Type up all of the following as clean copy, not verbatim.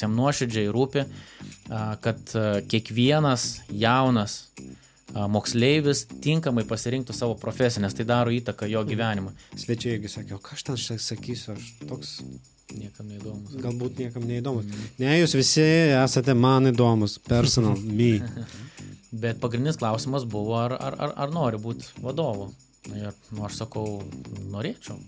Jam nuoširdžiai rūpi, kad kiekvienas jaunas moksleivis tinkamai pasirinktų savo profesiją, nes tai daro įtaką jo gyvenimą. Svečiai irgi sakė, o ką aš ten sakysiu, aš toks... Niekam neįdomus. Galbūt niekam neįdomus. Ne, jūs visi esate man įdomus, personal, me. Bet pagrindinis klausimas buvo, ar nori būti vadovu. Ir aš sakau, norėčiau.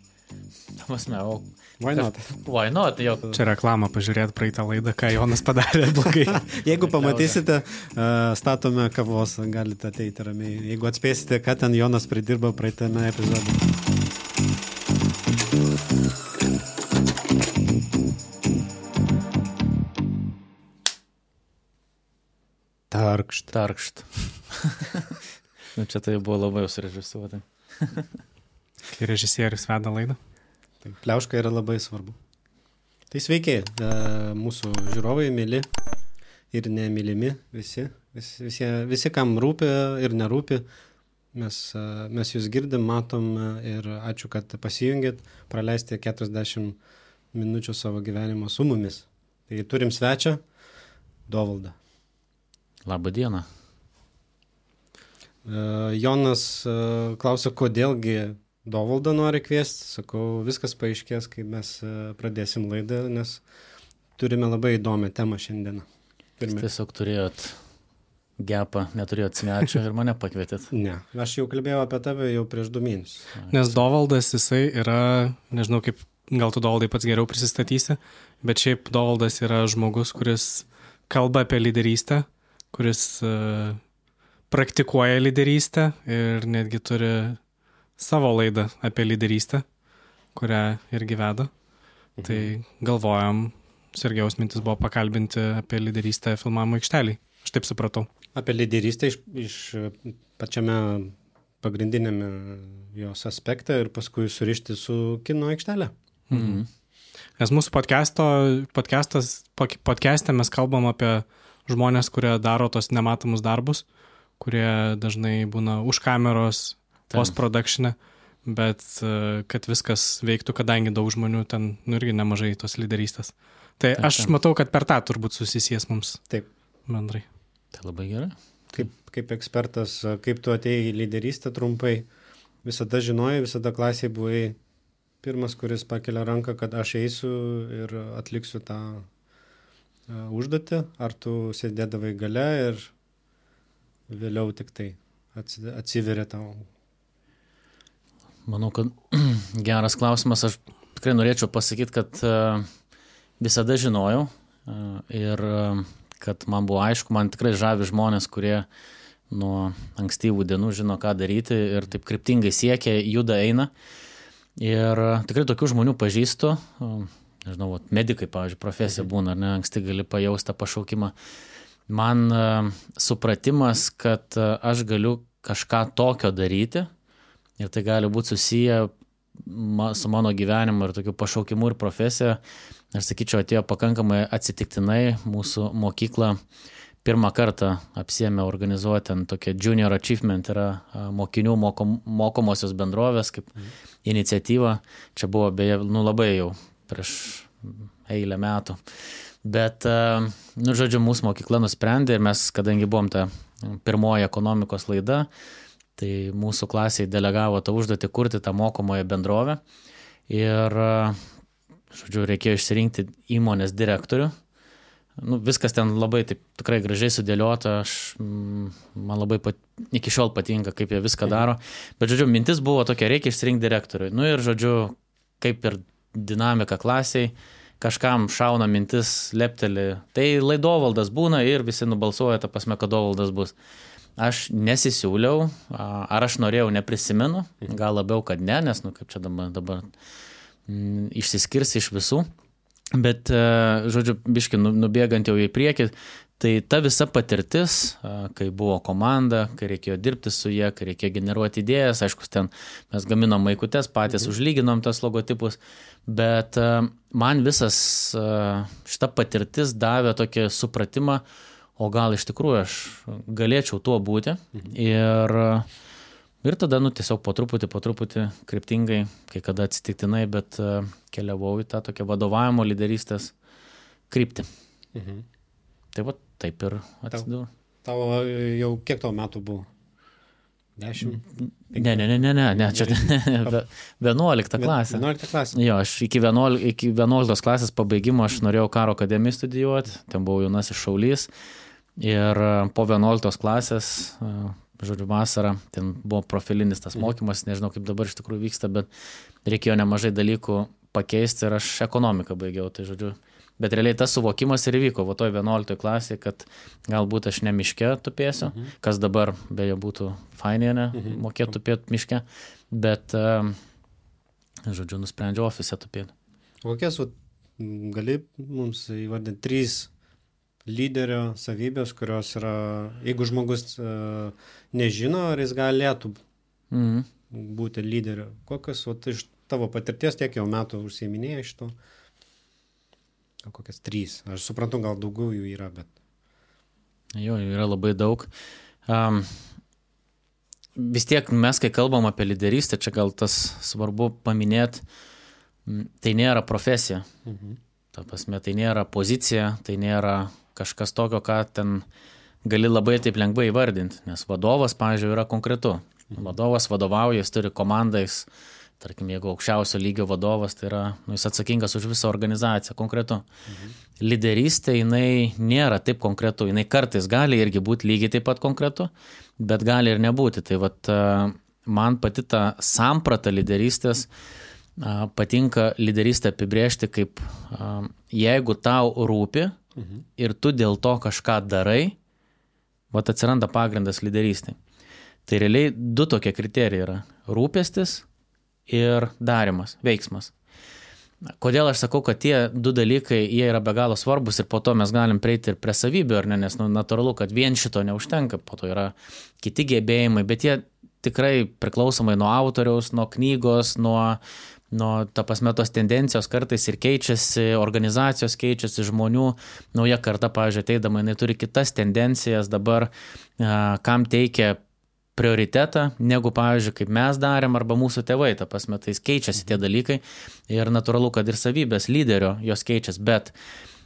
Why not? Why not? Jau. Čia reklama, pažiūrėti praeitą laidą, ką Jonas padarė blogai. Jeigu pamatysite, statome kavos, galite ateiti ramiai. Jeigu atspėsite, ką ten Jonas pridirbo praeitame epizode. Tarkšt. Čia tai buvo labai surežisuota. Kai režisierius veda laidą. Tai pliauška yra labai svarbu. Tai sveiki, mūsų žiūrovai, myli ir nemylimi, visi kam rūpi ir nerūpi. Mes jūs girdim, matom ir ačiū, kad pasijungėt, praleisti 40 minučių savo gyvenimo su mumis. Tai turim svečią, Dovaldą. Labą dieną. Jonas klausia, kodėlgi Dovaldą nori kviesti. Sakau, viskas paaiškės, kai mes pradėsim laidą, nes turime labai įdomią temą šiandieną. Tiesiog turėjot gepą, neturėjot svečio ir mane pakvietėt. Ne, aš jau kalbėjau apie tave jau prieš 2 mėnesius. Nes Dovaldas, jisai yra, nežinau kaip, gal tu Dovaldai pats geriau prisistatysi, bet šiaip Dovaldas yra žmogus, kuris kalba apie lyderystę, kuris praktikuoja lyderystę ir netgi turi savo laidą apie lyderystę, kurią irgi veda. Tai galvojam, Sergejaus mintis buvo pakalbinti apie lyderystę filmavimo aikštelėj. Aš taip supratau. Apie lyderystę iš pačiame pagrindinėme jos aspekte ir paskui surišti su kino aikštelė. Mhm. Nes mūsų podcast'e mes kalbam apie žmonės, kurie daro tos nematomus darbus, kurie dažnai būna už kameros, post-production'e, bet kad viskas veiktų, kadangi daug žmonių ten irgi nemažai tos lyderystės. Tai aš matau, kad per tą turbūt susisies mums. Taip. Bendrai. Tai labai gerai. Kaip ekspertas, kaip tu atėjai į lyderystę trumpai, visada žinojai, visada klasėje buvai pirmas, kuris pakelia ranką, kad aš eisiu ir atliksiu tą užduotį, ar tu sėdėdavai gale ir vėliau tik tai atsiveria tau? Manau, kad geras klausimas. Aš tikrai norėčiau pasakyti, kad visada žinojau ir kad man buvo aišku, man tikrai žavi žmonės, kurie nuo ankstyvų dienų žino, ką daryti ir taip kryptingai siekia, juda, eina. Ir tikrai tokių žmonių pažįstu. Nežinau, medikai, pavyzdžiui, profesija būna, ar ne, anksti gali pajausti tą pašaukimą. Man supratimas, kad aš galiu kažką tokio daryti ir tai gali būti susiję su mano gyvenimu ir tokiu pašaukimu ir profesija, aš sakyčiau, atėjo pakankamai atsitiktinai. Mūsų mokykla pirmą kartą apsiėmė organizuoti tokia Junior Achievement, yra mokinių mokomosios bendrovės kaip iniciatyva. Čia buvo beje, labai jau prieš eilę metų. Bet, žodžiu, mūsų mokykla nusprendė ir mes, kadangi buvom ta pirmoji ekonomikos laida, tai mūsų klasiai delegavo tą užduotį kurti tą mokomoją bendrovę. Ir, žodžiu, reikėjo išsirinkti įmonės direktorių. Viskas ten labai taip tikrai gražiai sudėliota, man labai iki šiol patinka, kaip jie viską daro. Bet, žodžiu, mintis buvo tokia, reikia išsirinkti direktorių. Ir, žodžiu, kaip ir dinamika klasiai, kažkam šauna mintis, lepteli. Tai Dovaldas būna ir visi nubalsuoja, ta prasme, kad Dovaldas bus. Aš nesisiūliau, ar aš norėjau, neprisimenu, gal labiau, kad ne, nes, kaip čia dabar išsiskirs iš visų. Bet, žodžiu, biški nubėgant jau į priekį, tai ta visa patirtis, kai buvo komanda, kai reikėjo dirbti su jie, kai reikėjo generuoti idėjas, aišku, ten mes gaminom maikutes, patys užlyginom tas logotipus, bet man visas šita patirtis davė tokį supratimą, o gal iš tikrųjų aš galėčiau tuo būti. Ir tada, tiesiog po truputį kryptingai, kai kada atsitiktinai, bet keliavau į tą tokią vadovavimo lyderystės kryptį. Tai va, taip ir atsidūriau. Tavo jau kiek tavo metų buvo? 10? Ne, čia 11 klasė. 11 klasė. Jo, aš iki 11 klasės pabaigimo aš norėjau karo akademiją studijuoti, ten buvau jaunasis šaulys ir po 11 klasės, žodžiu, vasarą, ten buvo profilinis tas mokymas, nežinau kaip dabar iš tikrųjų vyksta, bet reikėjo nemažai dalykų pakeisti ir aš ekonomiką baigiau, tai žodžiu. Bet realiai tas suvokimas ir įvyko, va toj 11 klasėje, kad galbūt aš ne miške tupėsiu, kas dabar beje būtų fainė, ne, mokėtų tupėti miške, bet, žodžiu, nusprendžiau ofise tupėti. Kokias gali mums įvardinti 3 lyderio savybės, kurios yra, jeigu žmogus nežino, ar jis galėtų būti lyderiu? Kokias iš tavo patirties tiek jau metų užsiiminėjai iš to? Kokias 3. Aš suprantu, gal daugiau jų yra, bet... Jo, yra labai daug. Vis tiek mes, kai kalbam apie lyderystę, čia gal tas svarbu paminėti, tai nėra profesija. Ta prasme, tai nėra pozicija, tai nėra kažkas tokio, ką ten gali labai taip lengvai įvardinti, nes vadovas, pavyzdžiui, yra konkretu. Vadovas vadovauja, jis turi komandą, jis, tarkim, jeigu aukščiausio lygio vadovas, tai yra, jis atsakingas už visą organizaciją, konkretu. Lyderystė, jinai nėra taip konkretu, jinai kartais gali irgi būti lygiai taip pat konkretu, bet gali ir nebūti. Tai vat, man pati ta samprata lyderystės patinka lyderystę apibrėžti kaip jeigu tau rūpi ir tu dėl to kažką darai, vat atsiranda pagrindas lyderystė. Tai realiai 2 tokie kriterijai yra – rūpestis ir darimas, veiksmas. Kodėl aš sakau, kad tie 2 dalykai, jie yra be galo svarbus ir po to mes galim prieiti ir prie savybių, ar ne, nes natūralu, kad vien šito neužtenka, po to yra kiti gebėjimai, bet jie tikrai priklausomai nuo autoriaus, nuo knygos, nuo ta prasme tos tendencijos kartais ir keičiasi, organizacijos keičiasi, žmonių, nauja karta, pavyzdžiui, ateidama, jinai turi kitas tendencijas dabar, kam teikia prioritetą, negu, pavyzdžiui, kaip mes darėm, arba mūsų tėvai, ta prasme, tai keičiasi tie dalykai ir natūralu, kad ir savybės lyderio jos keičiasi, bet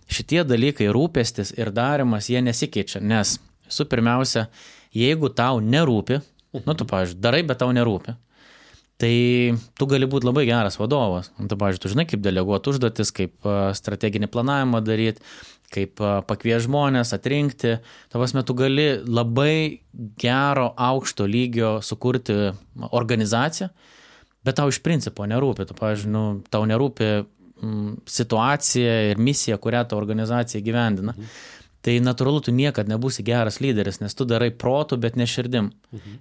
šitie dalykai, rūpestis ir darimas, jie nesikeičia, nes visų pirmiausia, jeigu tau nerūpi, tu, pavyzdžiui, darai, bet tau nerūpi, tai tu gali būti labai geras vadovas. Tu, pavyzdžiui, tu žinai, kaip deleguoti užduotis, kaip strateginį planavimą daryti, kaip pakvies žmonės, atrinkti. Ta prasme, tu gali labai gero, aukšto lygio sukurti organizaciją, bet tau iš principo nerūpi. Tu, pavyzdžiui, tau nerūpi situacija ir misija, kurią ta organizacija gyvendina. Tai natūralu, tu niekad nebūsi geras lyderis, nes tu darai protu, bet ne širdim.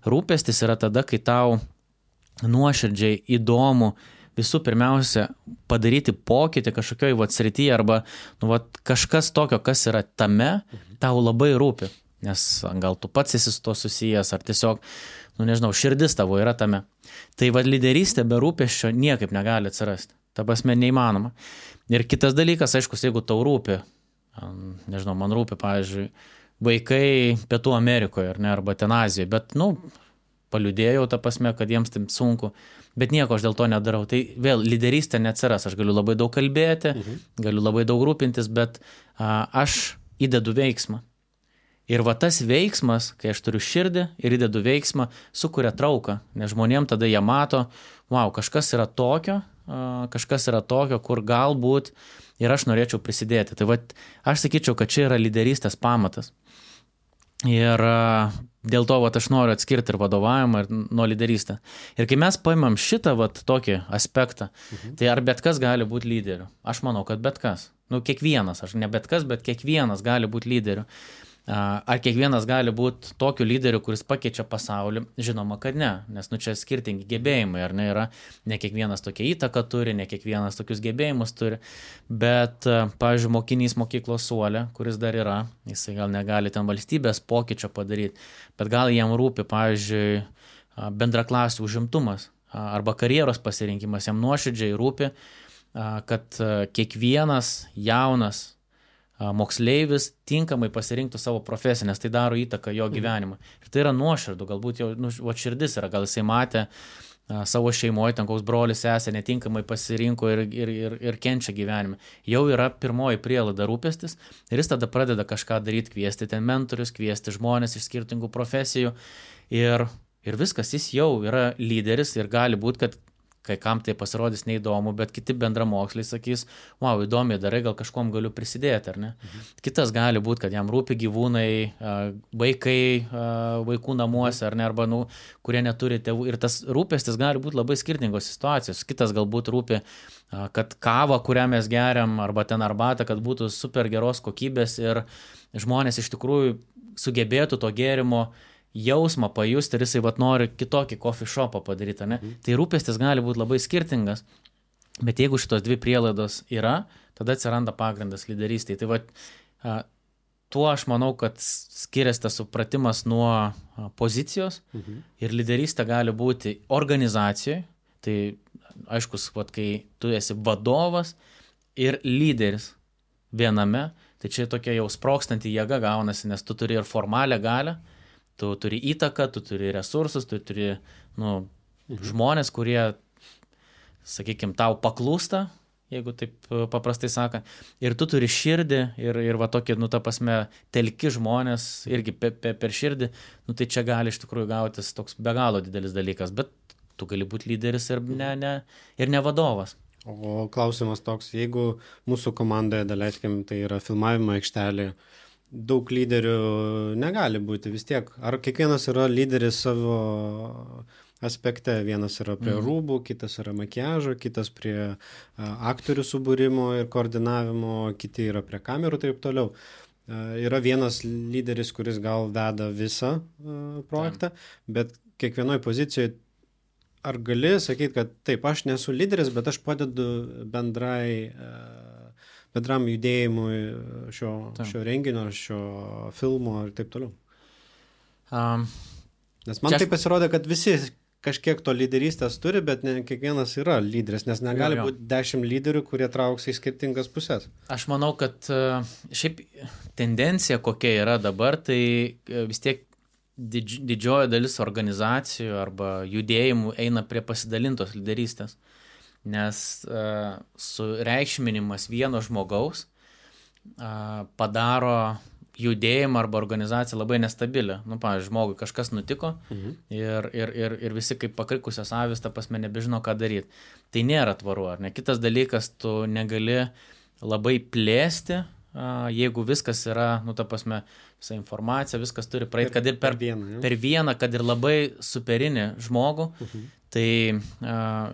Rūpestis yra tada, kai tau nuoširdžiai įdomu visų pirmiausia padaryti pokytį kažkokioj srityje arba kažkas tokio, kas yra tame, tau labai rūpi, nes gal tu pats esi su to susijęs ar tiesiog, nežinau, širdis tavo yra tame. Tai lyderystė be rūpesčio niekaip negali atsirasti. Ta prasme, neįmanoma. Ir kitas dalykas, aišku, jeigu tau rūpi, nežinau, man rūpi, pavyzdžiui, vaikai Pietų Amerikoje ar ne, arba ten Azijoje, bet, paliudėjau tą prasme, kad jiems taip sunku, bet nieko aš dėl to nedarau. Tai vėl lyderystė neatsiras, aš galiu labai daug kalbėti, galiu labai daug rūpintis, bet aš įdedu veiksmą. Ir tas veiksmas, kai aš turiu širdį ir įdedu veiksmą, sukuria trauką, nes žmonėm tada jie mato, kažkas yra tokio, kur galbūt ir aš norėčiau prisidėti. Tai aš sakyčiau, kad čia yra lyderystės pamatas. Ir dėl to aš noriu atskirti ir vadovavimą ir nuo lyderystę. Ir kai mes paimam šitą tokį aspektą, tai ar bet kas gali būti lyderiu? Aš manau, kad bet kas. Kiekvienas, aš ne bet kas, bet kiekvienas gali būti lyderiu. Ar kiekvienas gali būti tokiu lyderiu, kuris pakeičia pasaulį? Žinoma, kad ne, nes čia skirtingi gebėjimai, ar ne, yra, ne kiekvienas tokia įtaka turi, ne kiekvienas tokius gebėjimus turi, bet, pavyzdžiui, mokinys mokyklos suole, kuris dar yra, jisai gal negali ten valstybės pokyčio padaryti, bet gal jam rūpi, pavyzdžiui, bendraklasių užimtumas arba karjeros pasirinkimas, jam nuoširdžiai rūpi, kad kiekvienas jaunas moksleivis tinkamai pasirinktų savo profesiją, nes tai daro įtaką jo gyvenimą. Ir tai yra nuoširdų, galbūt jau širdis yra, gal jisai matė savo šeimoje, ten koks brolis sesė netinkamai pasirinko ir kenčia gyvenime. Jau yra pirmoji prielaida rūpestis ir jis tada pradeda kažką daryti, kviesti ten mentorius, kviesti žmonės iš skirtingų profesijų ir viskas, jis jau yra lyderis ir gali būti, kad kai kam tai pasirodys neįdomu, bet kiti bendramoksliai sakys, wow, įdomiai darai, gal kažkom galiu prisidėti, ar ne? Kitas gali būti, kad jam rūpi gyvūnai, vaikai, vaikų namuose, ar ne, arba, kurie neturi tėvų. Ir tas rūpestis gali būti labai skirtingos situacijos. Kitas galbūt rūpi, kad kava, kurią mes geriam, arba ten arbatą, kad būtų super geros kokybės ir žmonės iš tikrųjų sugebėtų to gėrimo jausmą pajusti ir jisai nori kitokį coffee shopą padaryti, ne? Tai rūpestis gali būti labai skirtingas, bet jeigu šitos dvi prielaidos yra, tada atsiranda pagrindas lyderystėje. Tai tuo aš manau, kad skiriasi tas supratimas nuo pozicijos ir lyderystė gali būti organizacijoje. Tai aiškus, kai tu esi vadovas ir lyderis viename, tai čia tokia jau sprogstanti jėga gaunasi, nes tu turi ir formalią galią, tu turi įtaką, tu turi resursus, tu turi žmonės, kurie, sakykime, tau paklūsta, jeigu taip paprastai sakant, ir tu turi širdį ir va tokį, ta prasme, telki žmonės irgi per širdį, tai čia gali iš tikrųjų gautis toks be galo didelis dalykas, bet tu gali būti lyderis ir ne vadovas. O klausimas toks, jeigu mūsų komandoje, daleiskim, tai yra filmavimo aikštelė, daug lyderių negali būti vis tiek. Ar kiekvienas yra lyderis savo aspekte? Vienas yra prie rūbų, kitas yra makiažo, kitas prie aktorių subūrimo ir koordinavimo, kiti yra prie kamerų, taip toliau. Yra vienas lyderis, kuris gal veda visą projektą, bet kiekvienoje pozicijoje ar gali sakyti, kad taip, aš nesu lyderis, bet aš padedu bendram judėjimui šio renginio, šio filmo ir taip toliau. Nes man tai pasirodė, kad visi kažkiek to lyderystės turi, bet ne kiekvienas yra lyderis, nes negali būti 10 lyderių, kurie trauks į skirtingas pusės. Aš manau, kad šiaip tendencija kokia yra dabar, tai vis tiek didžioji dalis organizacijų arba judėjimų eina prie pasidalintos lyderystės. Nes sureikšminimas vieno žmogaus padaro judėjimą arba organizaciją labai nestabilę. Pavyzdžiui, žmogui kažkas nutiko ir visi kaip pakrikusios avys, ta prasme, nebežino, ką daryti. Tai nėra tvaru, ar ne? Kitas dalykas, tu negali labai plėsti, jeigu viskas yra, ta prasme, visa informacija, viskas turi praeiti, kad ir per vieną, kad ir labai superinį žmogų, tai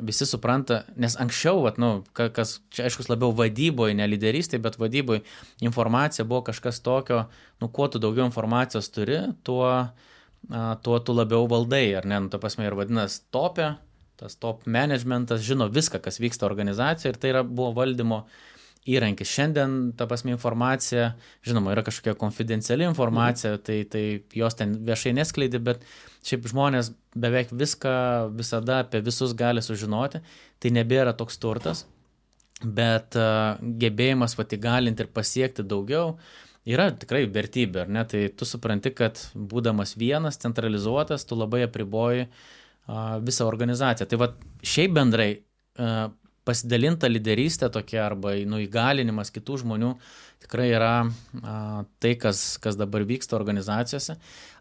visi supranta, nes anksčiau, kas čia aiškus labiau vadyboje, ne lyderystėje, bet vadyboje informacija buvo kažkas tokio, kuo tu daugiau informacijos turi, tuo tu labiau valdai, ar ne? Ta prasme, ir vadinasi topė, tas top managementas žino viską, kas vyksta organizacijoje ir tai buvo valdymo įrankis. Šiandien, ta prasme, informacija, žinoma, yra kažkokia konfidenciali informacija, tai jos ten viešai neskleidi, bet šiaip žmonės beveik viską visada apie visus gali sužinoti, tai nebėra toks turtas, bet gebėjimas įgalinti ir pasiekti daugiau yra tikrai vertybė, ar ne? Tai tu supranti, kad būdamas vienas, centralizuotas, tu labai apriboji visą organizaciją. Tai šiaip bendrai pasidalinta lyderystė tokia arba įgalinimas kitų žmonių tikrai yra tai, kas dabar vyksta organizacijose.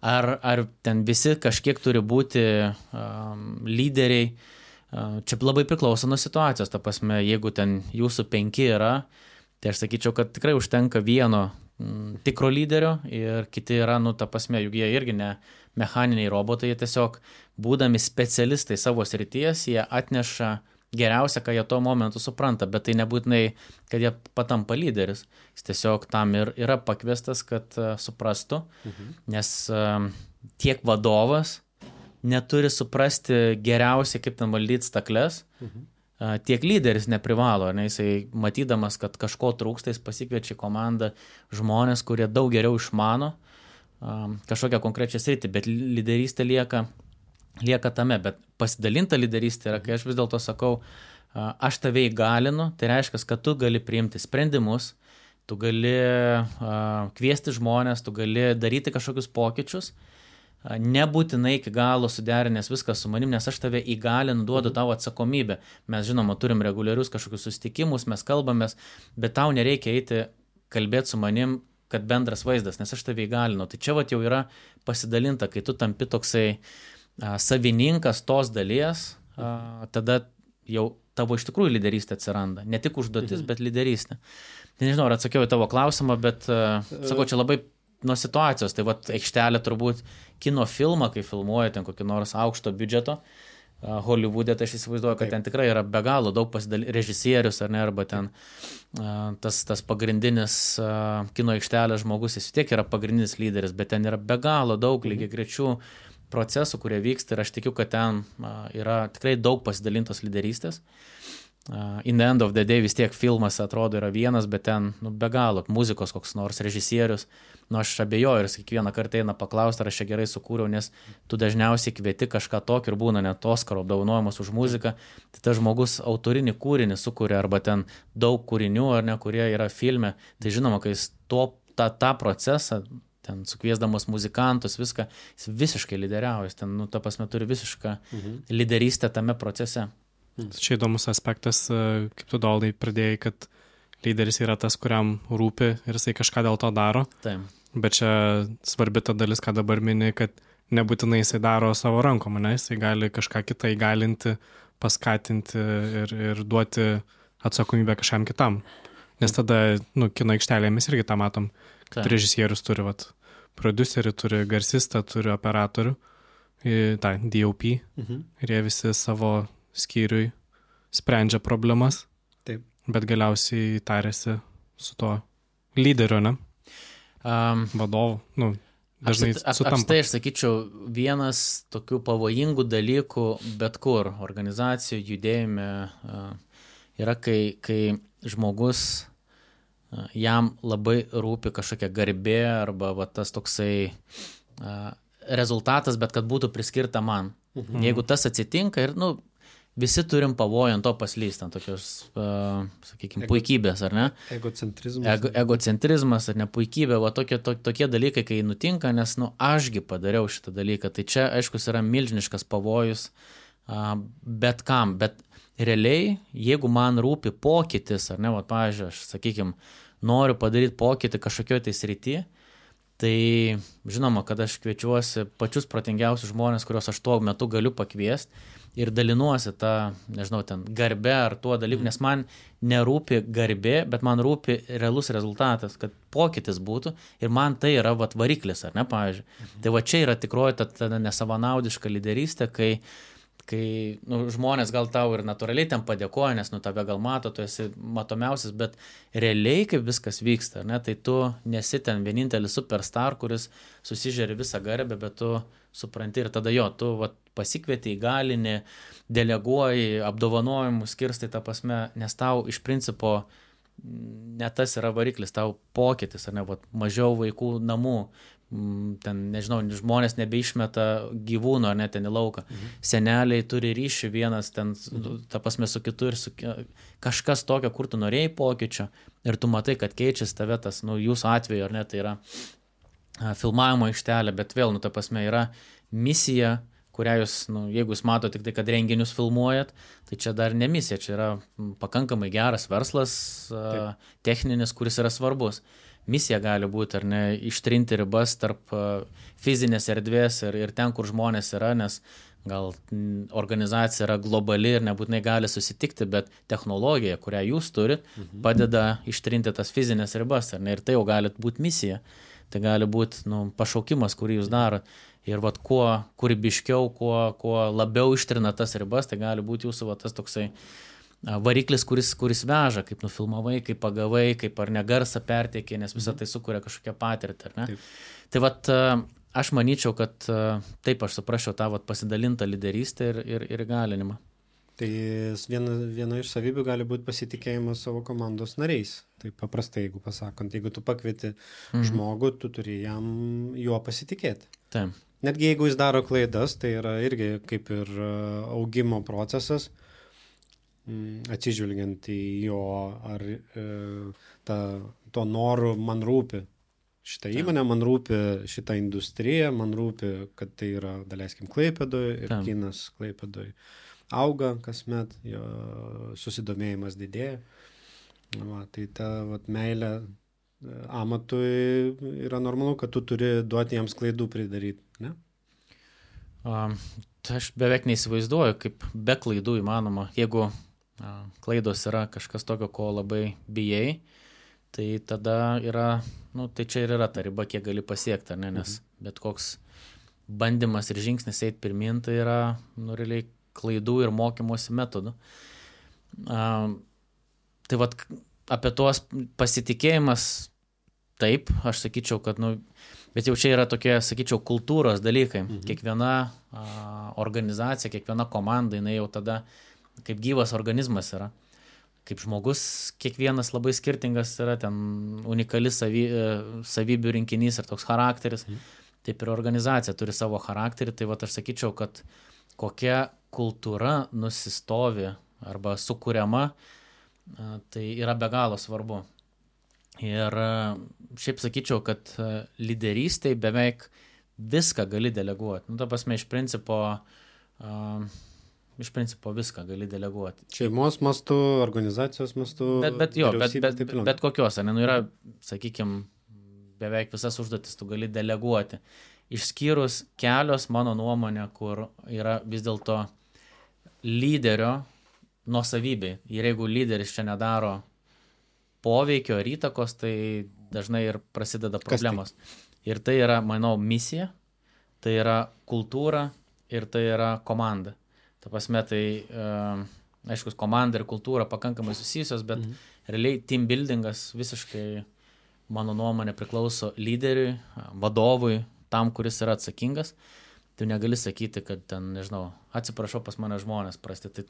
Ar ten visi kažkiek turi būti lyderiai, čia labai priklauso nuo situacijos. Ta prasme, jeigu ten jūsų 5 yra, tai aš sakyčiau, kad tikrai užtenka vieno tikro lyderio ir kiti yra, ta prasme, juk jie irgi ne mechaniniai robotai, jie tiesiog būdami specialistai savo srities, jie atneša geriausia, ką jie tuo momentu supranta, bet tai nebūtinai, kad jie patampa lyderis. Jis tiesiog tam ir yra pakviestas, kad suprastų, nes tiek vadovas neturi suprasti geriausiai, kaip ten valdyti stakles, tiek lyderis neprivalo, ne? Jisai matydamas, kad kažko trūksta, jis pasikviečia komandą žmonės, kurie daug geriau išmano kažkokią konkrečią sritį, bet lyderystė lieka tame, bet pasidalinta lyderystė yra, kai aš vis dėlto sakau, aš tave įgalinu, tai reiškia, kad tu gali priimti sprendimus, tu gali kviesti žmonės, tu gali daryti kažkokius pokyčius, nebūtinai iki galo suderinęs viskas su manim, nes aš tave įgalinu, duodu tau atsakomybę. Mes, žinoma, turim reguliarius kažkokius susitikimus, mes kalbamės, bet tau nereikia eiti kalbėti su manim, kad bendras vaizdas, nes aš tave įgalinu. Tai čia vat jau yra pasidalinta, kai tu tampi toksai savininkas tos dalies, tada jau tavo iš tikrųjų lyderystė atsiranda. Ne tik užduotis, bet lyderystė. Tai nežinau, ar atsakiau į tavo klausimą, bet sakau, čia labai nuo situacijos. Tai vat aikštelė turbūt kino filmą, kai filmuoja ten kokį nors aukšto biudžeto, Hollywoode, tai aš įsivaizduoju, kad ten tikrai yra be galo daug režisierius, ar ne, arba ten tas pagrindinis kino aikštelės žmogus, jis tiek yra pagrindinis lyderis, bet ten yra be galo daug lygiagrečių procesų, kurie vyksta ir aš tikiu, kad ten yra tikrai daug pasidalintos lyderystės. In the end of the day vis tiek filmas atrodo yra vienas, bet ten be galo muzikos koks nors režisierius. Aš abejoju ir kiekvieną kartą eina paklausti, ar aš čia gerai sukūriau, nes tu dažniausiai kvieti kažką tokio ir būna net Oskaro apdovanojimas už muziką, tai tas žmogus autorinį kūrinį sukuria arba ten daug kūrinių, ar ne, kurie yra filme. Tai žinoma, kai jis tą procesą, ten sukviesdamas muzikantus, viską, jis visiškai lyderiauja, jis ten, ta prasme, turi visišką lyderystę tame procese. Čia įdomus aspektas, kaip tu Doldai pradėjai, kad lyderis yra tas, kuriam rūpi ir jisai kažką dėl to daro. Taip. Bet čia svarbi ta dalis, ką dabar mini, kad nebūtinai jisai daro savo rankom, ne? Jisai gali kažką kitą įgalinti, paskatinti ir duoti atsakomybę kažkam kitam. Nes tada, kino aikštelėje mes irgi tą matom, kad režisierius turi prodiuserį, turi garsistą, turi operatorių, tą DOP, ir jie visi savo skyriui sprendžia problemas, taip, bet galiausiai tarėsi su to lyderiu, ne? Vadovu, dažnai sutampa. Apstai aš sakyčiau, vienas tokių pavojingų dalykų bet kur organizacijų judėjime yra, kai žmogus, jam labai rūpi kažkokia garbė arba tas toksai rezultatas, bet kad būtų priskirta man. Jeigu tas atsitinka ir, visi turim pavojų ant to paslyst, ant tokios, sakykime, puikybės, ar ne? Egocentrizmas, ar ne, puikybė, tokie dalykai, kai nutinka, nes, ašgi padariau šitą dalyką, tai čia, aiškus, yra milžiniškas pavojus bet kam, bet realiai, jeigu man rūpi pokytis, ar ne, pavyzdžiui, aš, sakykime, noriu padaryti pokytį kažkokioje tai srityje, tai žinoma, kad aš kviečiuosi pačius protingiausius žmonės, kuriuos aš tuo metu galiu pakviesti ir dalinuosi tą, nežinau, ten garbę ar tuo dalyku, nes man nerūpi garbė, bet man rūpi realus rezultatas, kad pokytis būtų ir man tai yra variklis, ar ne, pavyzdžiui. Tai čia yra tikroji ta nesavanaudiška lyderystė, kai žmonės gal tau ir natūraliai ten padėkoja, nes tave gal mato, tu esi matomiausias, bet realiai kaip viskas vyksta, ne, tai tu nesi ten vienintelis superstar, kuris susižeri visą garbę, bet tu supranti ir tada tu pasikvieti, įgalini, deleguoji, apdovanojimus skirstai tą prasme, nes tau iš principo ne tas yra variklis, tau pokytis, ar ne, mažiau vaikų namų, ten, nežinau, žmonės nebeišmeta gyvūnų ar net ten į lauką. Seneliai turi ryšį vienas ten, ta prasme, su kitu ir kažkas tokio, kur tu norėjai pokyčio ir tu matai, kad keičiasi tave tas, jūsų atveju, ar ne, tai yra filmavimo aikštelė, bet vėl, ta prasme, yra misija, kurią jūs, jeigu jūs matote tik tai, kad renginius filmuojat, tai čia dar ne misija, čia yra pakankamai geras verslas, techninis, kuris yra svarbus. Misija gali būti, ar ne, ištrinti ribas tarp fizinės erdvės ir ten, kur žmonės yra, nes gal organizacija yra globali ir nebūtinai gali susitikti, bet technologija, kurią jūs turit, padeda ištrinti tas fizinės ribas, ar ne, ir tai jau gali būti misija. Tai gali būti pašaukimas, kurį jūs darot. Ir kuo kūrybiškiau, kuo labiau ištrina tas ribas, tai gali būti jūsų tas toksai variklis, kuris veža, kaip nufilmavai, kaip pagavai, kaip ar ne garsą perteikė, nes visą tai sukuria kažkokią patirtį, ar ne? Taip. Tai aš manyčiau, kad taip aš suprasčiau tą pasidalintą lyderystę ir įgalinimą. Tai viena iš savybių gali būti pasitikėjimas savo komandos nariais. Tai paprastai, jeigu pasakant, jeigu tu pakvieti žmogų, tu turi juo pasitikėti. Taip. Netgi jeigu jis daro klaidas, tai yra irgi kaip ir augimo procesas, atsižvelgiant į jo ar to noru man rūpi šitą įmonę, man rūpi šitą industriją, man rūpi, kad tai yra, daleiskim, Klaipėdoje ir kinas Klaipėdoje auga kasmet, jo susidomėjimas didėja. Va, tai ta meilė amatui yra normalu, kad tu turi duoti jiems klaidų pridaryti, ne? Tai aš beveik neįsivaizduoju, kaip be klaidų įmanoma. Jeigu klaidos yra kažkas tokio, ko labai bijai, tai tada yra, tai čia ir yra ta riba, kiek gali pasiekti, ne? Nes bet koks bandymas ir žingsnis eiti pirmin, tai yra, realiai klaidų ir mokymosi metodų. Tai vat apie tuos pasitikėjimas, taip, aš sakyčiau, kad, bet jau čia yra tokie, sakyčiau, kultūros dalykai. Kiekviena organizacija, kiekviena komanda, jinai jau tada kaip gyvas organizmas yra. Kaip žmogus, kiekvienas labai skirtingas yra, ten unikali savybių rinkinys ir toks charakteris. Taip ir organizacija turi savo charakterį. Tai vat aš sakyčiau, kad kokia kultūra nusistovi arba sukuriama, tai yra be galo svarbu. Ir šiaip sakyčiau, kad lyderystėj beveik viską gali deleguoti. Ta prasme, iš principo viską gali deleguoti. Šeimos mastu, organizacijos mastu. Bet kokios, yra, sakykime, beveik visas užduotis tu gali deleguoti. Išskyrus kelios, mano nuomonė, kur yra vis dėlto lyderio nuosavybė. Ir jeigu lyderis čia nedaro poveikio ir įtakos, tai dažnai ir prasideda problemos. Ir tai yra, manau, misija, tai yra kultūra ir tai yra komanda. Ta prasme, tai, aiškus, komanda ir kultūra pakankamai susijusios, bet realiai team buildingas visiškai, mano nuomonė, priklauso lyderiui, vadovui, tam, kuris yra atsakingas. Tu negali sakyti, kad ten, nežinau, atsiprašau, pas mane žmonės prasti, tai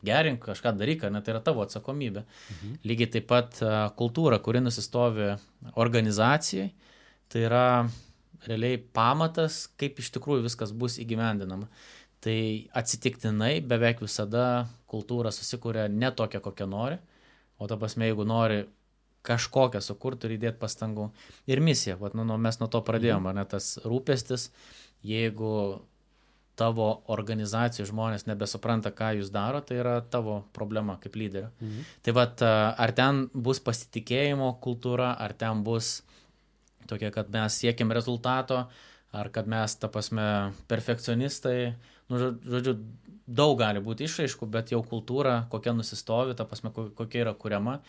gerink kažką daryk, tai yra tavo atsakomybė. Lygiai taip pat kultūra, kuri nusistovi organizacijai, tai yra realiai pamatas, kaip iš tikrųjų viskas bus įgyvendinama. Tai atsitiktinai beveik visada kultūra susikuria ne tokia, kokią nori, o ta prasme, jeigu nori kažkokią sukurti, turi įdėti pastangų. Ir misija, mes nuo to pradėjome, tas rūpestis, jeigu tavo organizacijų žmonės nebesupranta, ką jūs daro, tai yra tavo problema kaip lyderio. Tai ar ten bus pasitikėjimo kultūra, ar ten bus tokia, kad mes siekiam rezultato, ar kad mes, ta prasme, perfekcionistai, žodžiu, daug gali būti išraiškų, bet jau kultūra, kokia nusistovi, ta prasme, kokia yra kuriama.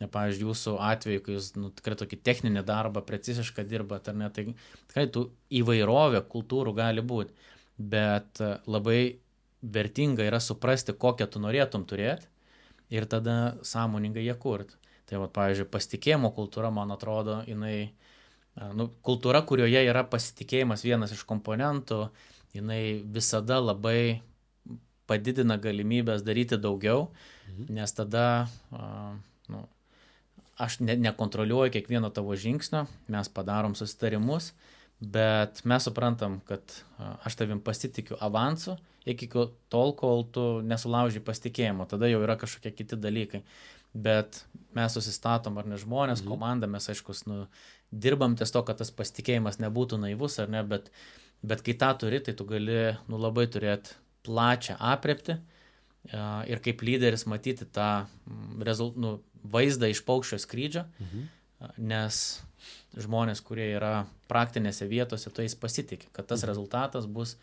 Pavyzdžiui, jūsų atveju, kai jūs tikrai tokį techninį darbą, precizišką dirbat, ar ne, tai tikrai tų įvairovė kultūrų gali būti, bet labai vertinga yra suprasti, kokią tu norėtum turėti ir tada sąmoningai ją kurti. Tai, pavyzdžiui, pasitikėjimo kultūra, man atrodo, jinai, kultūra, kurioje yra pasitikėjimas vienas iš komponentų, jinai visada labai padidina galimybės daryti daugiau, nes tada aš nekontroliuoju kiekvieno tavo žingsnio, mes padarom susitarimus, bet mes suprantam, kad aš tavim pasitikiu avansu iki tol, kol tu nesulauži pasitikėjimo, tada jau yra kažkokie kiti dalykai. Bet mes susistatom, ar ne žmonės, komanda, mes aiškus, dirbam ties to, kad tas pasitikėjimas nebūtų naivus, ar ne, bet kai tą turi, tai tu gali labai turėti plačią aprėptį ir kaip lyderis matyti tą vaizdą iš paukščio skrydžio, nes žmonės, kurie yra praktinėse vietose, tu jais pasitikė, kad tas rezultatas bus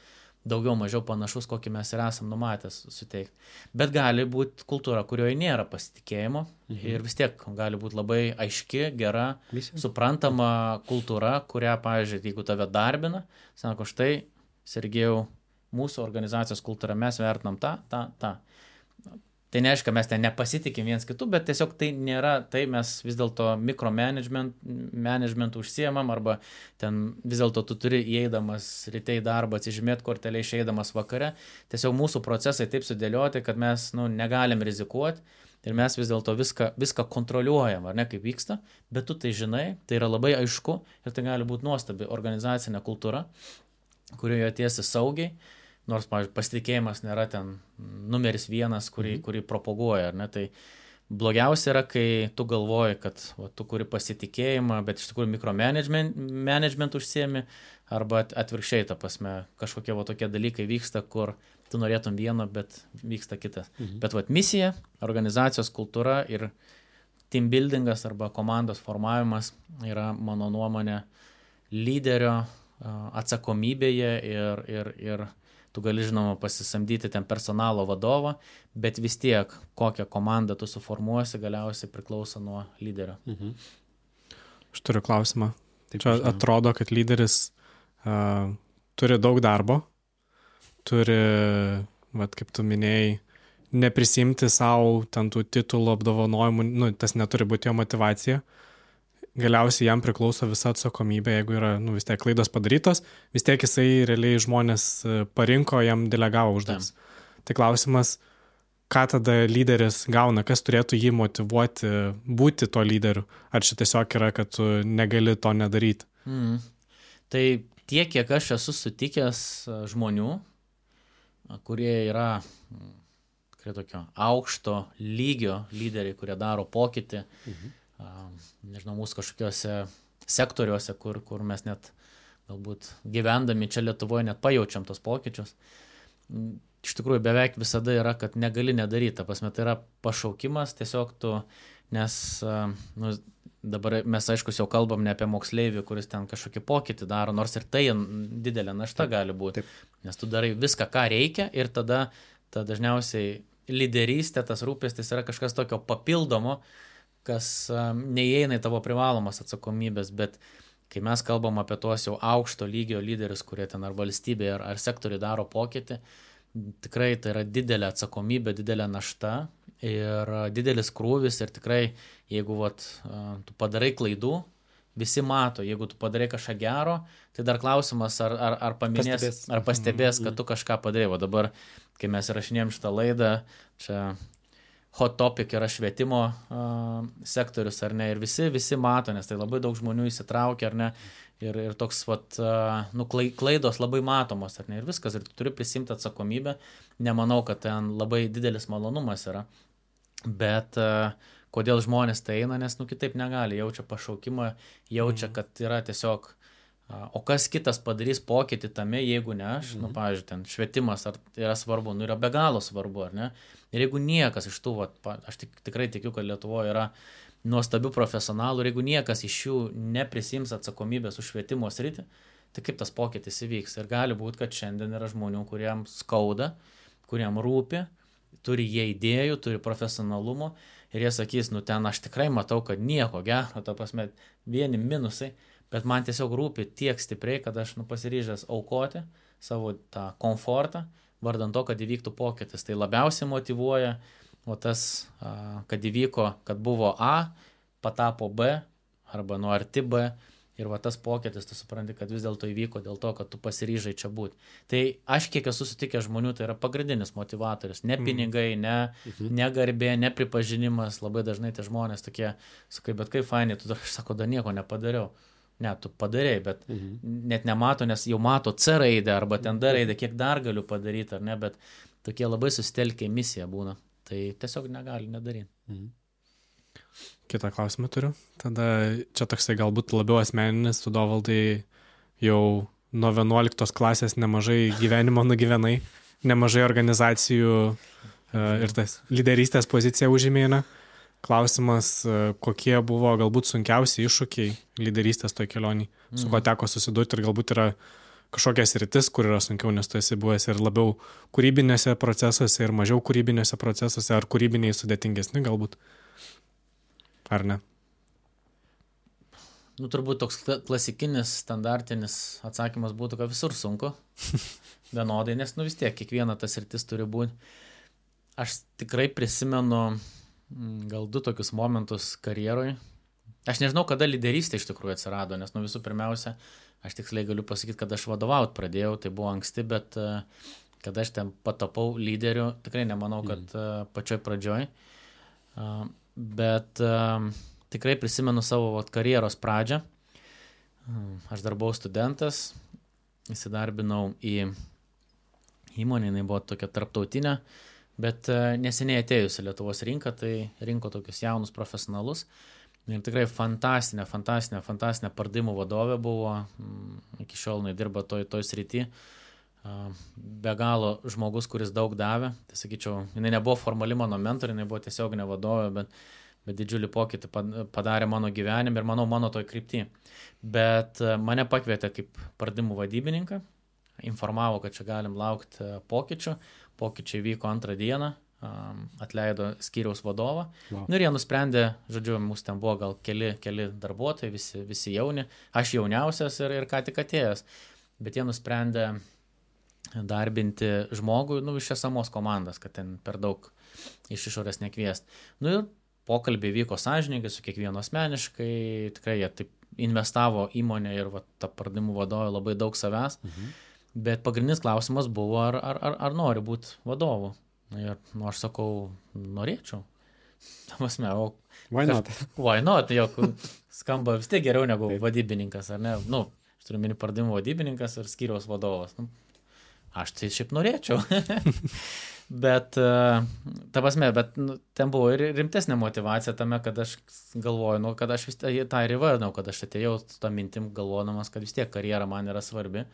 daugiau mažiau panašus, kokį mes ir esam numatęs suteikti. Bet gali būti kultūra, kurioje nėra pasitikėjimo ir vis tiek gali būti labai aiški, gera, suprantama kultūra, kurią, pavyzdžiui, jeigu tave darbina, sako, štai, Sergejau, mūsų organizacijos kultūra, mes vertinam tą. Tai neaiškia, mes ten nepasitikim viens kitų, bet tiesiog tai nėra, tai mes vis dėlto mikromanagementų užsiemam, arba ten vis dėlto tu turi įeidamas ryte į darbą, atsižymėti kortelę išeidamas vakare. Tiesiog mūsų procesai taip sudėlioti, kad mes negalim rizikuoti ir mes vis dėlto viską kontroliuojam, ar ne, kaip vyksta, bet tu tai žinai, tai yra labai aišku ir tai gali būti nuostabi organizacinė kultūra, kurioje tiesi saugiai. Nors, pavyzdžiui, pasitikėjimas nėra ten numeris vienas, kurį propaguoja, ar ne, tai Blogiausia yra, kai tu galvoji, kad tu kuri pasitikėjimą, bet iš tikrųjų mikromanagement užsiemi, arba atvirkščiai, ta prasme, kažkokie tokie dalykai vyksta, kur tu norėtum vieno, bet vyksta kitas. Bet misija, organizacijos kultūra ir team buildingas arba komandos formavimas yra, mano nuomonė, lyderio atsakomybėje ir tu gali, žinoma, pasisamdyti ten personalo vadovą, bet vis tiek, kokią komandą tu suformuosi, galiausiai priklauso nuo lyderio. Aš turiu klausimą. Čia atrodo, kad lyderis turi daug darbo, turi, kaip tu minėjai, neprisimti savo ten tų titulų apdovanojimų, tas neturi būti jo motyvacija. Galiausiai jam priklauso visa atsakomybė, jeigu yra vis tiek klaidos padarytos, vis tiek jisai realiai žmonės parinko, jam delegavo užduotis. Tai klausimas, ką tada lyderis gauna, kas turėtų jį motyvuoti būti to lyderiu, ar čia tiesiog yra, kad tu negali to nedaryti? Tai tiek, kiek aš esu sutikęs žmonių, kurie yra tikrai tokio aukšto lygio lyderiai, kurie daro pokytį, nežinau, mūsų kažkokiuose sektoriuose, kur mes net galbūt gyvendami čia Lietuvoje net pajaučiam tos pokyčius. Iš tikrųjų, beveik visada yra, kad negali nedaryti. Ta prasme, tai yra pašaukimas, tiesiog tu, nes dabar mes aiškus jau kalbam ne apie moksleivį, kuris ten kažkokį pokytį daro, nors ir tai didelė našta gali būti. Nes tu darai viską, ką reikia ir tada dažniausiai lyderystė, tas rūpestis yra kažkas tokio papildomo, kas neįeina į tavo privalomas atsakomybės, bet kai mes kalbam apie tuos jau aukšto lygio lyderius, kurie ten ar valstybėje, ar sektoriai daro pokytį, tikrai tai yra didelė atsakomybė, didelė našta ir didelis krūvis ir tikrai, jeigu tu padarai klaidų, visi mato, jeigu tu padarai kažką gero, tai dar klausimas, ar paminės, ar pastebės, kad tu kažką padarai. O dabar, kai mes įrašinėjom šitą laidą, čia hot topic yra švietimo sektorius, ar ne, ir visi mato, nes tai labai daug žmonių įsitraukia, ar ne, ir toks, klaidos labai matomos, ar ne, ir viskas, ir tu turi prisimti atsakomybę, nemanau, kad ten labai didelis malonumas yra, bet kodėl žmonės tai eina, nes, kitaip negali, jaučia pašaukimą, jaučia, kad yra tiesiog, o kas kitas padarys pokytį tame, jeigu ne aš, pavyzdžiui, ten švietimas yra svarbu, yra be galo svarbu, ar ne? Ir jeigu niekas iš tų, aš tikrai tikiu, kad Lietuvoje yra nuostabių profesionalų, ir jeigu niekas iš jų neprisims atsakomybės už švietimo sritį, tai kaip tas pokytis įvyks? Ir gali būti, kad šiandien yra žmonių, kuriem skauda, kuriem rūpi, turi jie idėjų, turi profesionalumo, ir jie sakys, ten aš tikrai matau, kad nieko gero, ta prasme, vieni minusai, bet man tiesiog rūpi tiek stipriai, kad aš pasiryžęs aukoti savo tą komfortą, vardant to, kad įvyktų pokytis. Tai labiausiai motyvuoja, kad įvyko, kad buvo A, patapo B, arba nuo arti B, ir tas pokytis, tu supranti, kad vis dėlto įvyko dėl to, kad tu pasiryžai čia būti. Tai aš kiek esu sutikęs žmonių, tai yra pagrindinis motivatorius. Ne pinigai, ne garbė, ne pripažinimas. Labai dažnai tie žmonės tokie, sakai, bet kaip fainai, tu dar, sako, dar nieko nepadariau. Ne, tu padarėjai, bet net nemato, nes jau mato C raidę arba ten D raidę, kiek dar galiu padaryti, ar ne, bet tokie labai susitelkę misija būna. Tai tiesiog negali nedaryti. Kitą klausimą turiu. Tada čia toksai galbūt labiau asmeninis, tu Dovaldai jau nuo 11 klasės nemažai gyvenimo nugyvenai, nemažai organizacijų ir tas lyderystės pozicija užėmėna. Klausimas, kokie buvo galbūt sunkiausi iššūkiai lyderystės toj kelionį, su ko teko susidurti ir galbūt yra kažkokias rytis, kur yra sunkiau, nes tu esi buvęs ir labiau kūrybinėse procesuose ir mažiau kūrybinėse procesuose, ar kūrybiniai sudėtingesni galbūt, ar ne? Turbūt toks klasikinis, standartinis atsakymas būtų, kad visur sunku, vienodai, nes vis tiek kiekviena tas rytis turi būti. Aš tikrai prisimenu gal 2 tokius momentus karjeroj. Aš nežinau, kada lyderystė iš tikrųjų atsirado, nes visų pirmiausia, aš tiksliai galiu pasakyti, kad aš vadovaut pradėjau, tai buvo anksti, bet kada aš ten patapau lyderiu, tikrai nemanau, kad pačioj pradžioj, bet tikrai prisimenu savo karjeros pradžią. Aš dar buvau studentas, įsidarbinau į įmonę, jinai buvo tokia tarptautinė, bet neseniai atėjusi Lietuvos rinką, tai rinko tokius jaunus profesionalus. Ir tikrai fantastinė pardavimų vadovė buvo, iki šiol jinai dirba toj srity. Be galo žmogus, kuris daug davė. Tai sakyčiau, jinai nebuvo formali mano mentorė, jinai buvo tiesioginė vadovė, bet didžiulį pokytį padarė mano gyvenime ir manau mano toj krypty. Bet mane pakvietė kaip pardavimų vadybininką, informavo, kad čia galim laukti pokyčių. Pokyčiai vyko 2 dieną, atleido skyriaus vadovą. Wow. Ir jie nusprendė, žodžiu, mūsų ten buvo gal keli darbuotojai, visi jauni, aš jauniausias ir ką tik atėjęs. Bet jie nusprendė darbinti žmogų, iš esamos komandas, kad ten per daug iš išorės nekviest. Ir pokalbiai vyko sąžiningai su kiekvienu asmeniškai, tikrai jie taip investavo įmonę ir ta pardavimų vadovė labai daug savęs. Bet pagrindinis klausimas buvo, ar nori būti vadovu. Ir aš sakau, norėčiau. Why not? Why not? Jok, skamba vis tiek geriau negu vadybininkas, ar ne? Aš turiu mini pardavimų vadybininkas ir skyriaus vadovas. Aš tai šiaip norėčiau. Bet ten buvo ir rimtesnė motyvacija tame, kad aš galvoju, kad aš vis tą ir įvardinau, kad aš atėjau tą mintim galvodamas, kad vis tiek karjera man yra svarbi.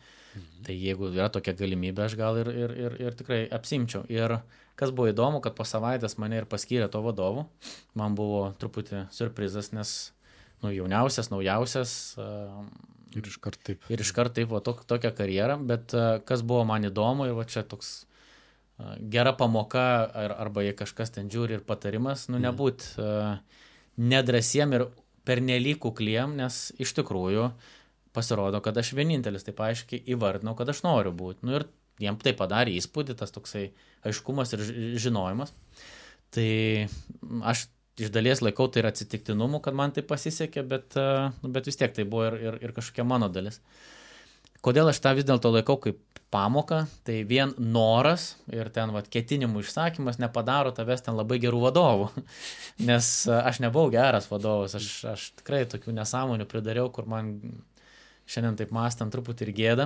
Tai jeigu yra tokia galimybė, aš gal ir tikrai apsimčiau. Ir kas buvo įdomu, kad po savaitės mane ir paskyrė to vadovu. Man buvo truputį surprizas, nes jauniausias, naujausias. Ir iškart taip. Ir iškart taip, tokia karjera. Bet kas buvo man įdomu ir čia toks gera pamoka, arba jei kažkas ten žiūri ir patarimas, nebūt nedrasiem ir pernelyg kukliem, nes iš tikrųjų pasirodo, kad aš vienintelis taip aiškiai įvardinau, kad aš noriu būti. Ir jiem tai padarė įspūdį, tas toksai aiškumas ir žinojimas. Tai aš iš dalies laikau tai ir atsitiktinumu, kad man tai pasisekė, bet vis tiek tai buvo ir kažkokia mano dalis. Kodėl aš tą vis dėlto laikau kaip pamoką, tai vien noras ir ten ketinimų išsakymas nepadaro tavęs ten labai gerų vadovų, nes aš nebuvau geras vadovas, aš tikrai tokių nesąmonių pridariau, kur man šiandien taip mąstant truputį ir gėda.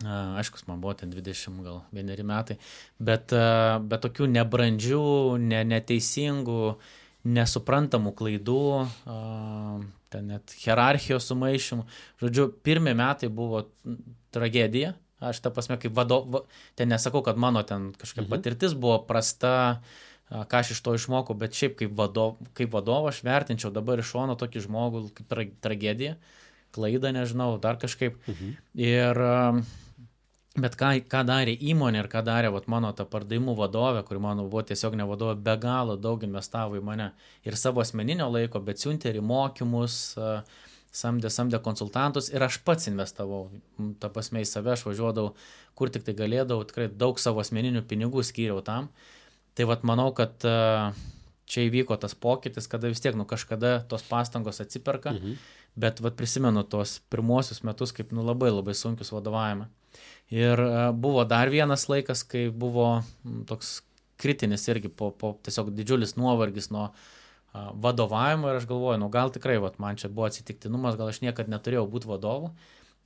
Aišku, man buvo ten 21 metai, bet tokių nebrandžių, neteisingų, nesuprantamų klaidų, ten net hierarchijos sumaišymų. Žodžiu, 1 metai buvo tragedija. Aš tą prasme, kaip ten nesakau, kad mano ten kažkokia patirtis buvo prasta, ką aš iš to išmokau, bet šiaip kaip vadovo aš vertinčiau dabar iš šono tokį žmogų kaip tragediją, klaidą, nežinau, dar kažkaip. Bet ką darė įmonė ir ką darė mano ta pardavimų vadovė, kuri mano buvo tiesiog ne vadovė, be galo daug investavo į mane ir savo asmeninio laiko, bet siuntė ir mokymus, samdė konsultantus ir aš pats investavau, ta prasme į save, aš važiuodavau, kur tik tai galėdavau, tikrai daug savo asmeninių pinigų skyriau tam. Tai manau, kad čia įvyko tas pokytis, kada vis tiek kažkada tos pastangos atsiperka, bet prisimenu tos pirmuosius metus kaip labai labai sunkius vadovavimą. Ir buvo dar vienas laikas, kai buvo toks kritinis irgi po tiesiog didžiulis nuovargis nuo vadovavimo ir aš galvoju, gal tikrai man čia buvo atsitiktinumas, gal aš niekad neturėjau būti vadovu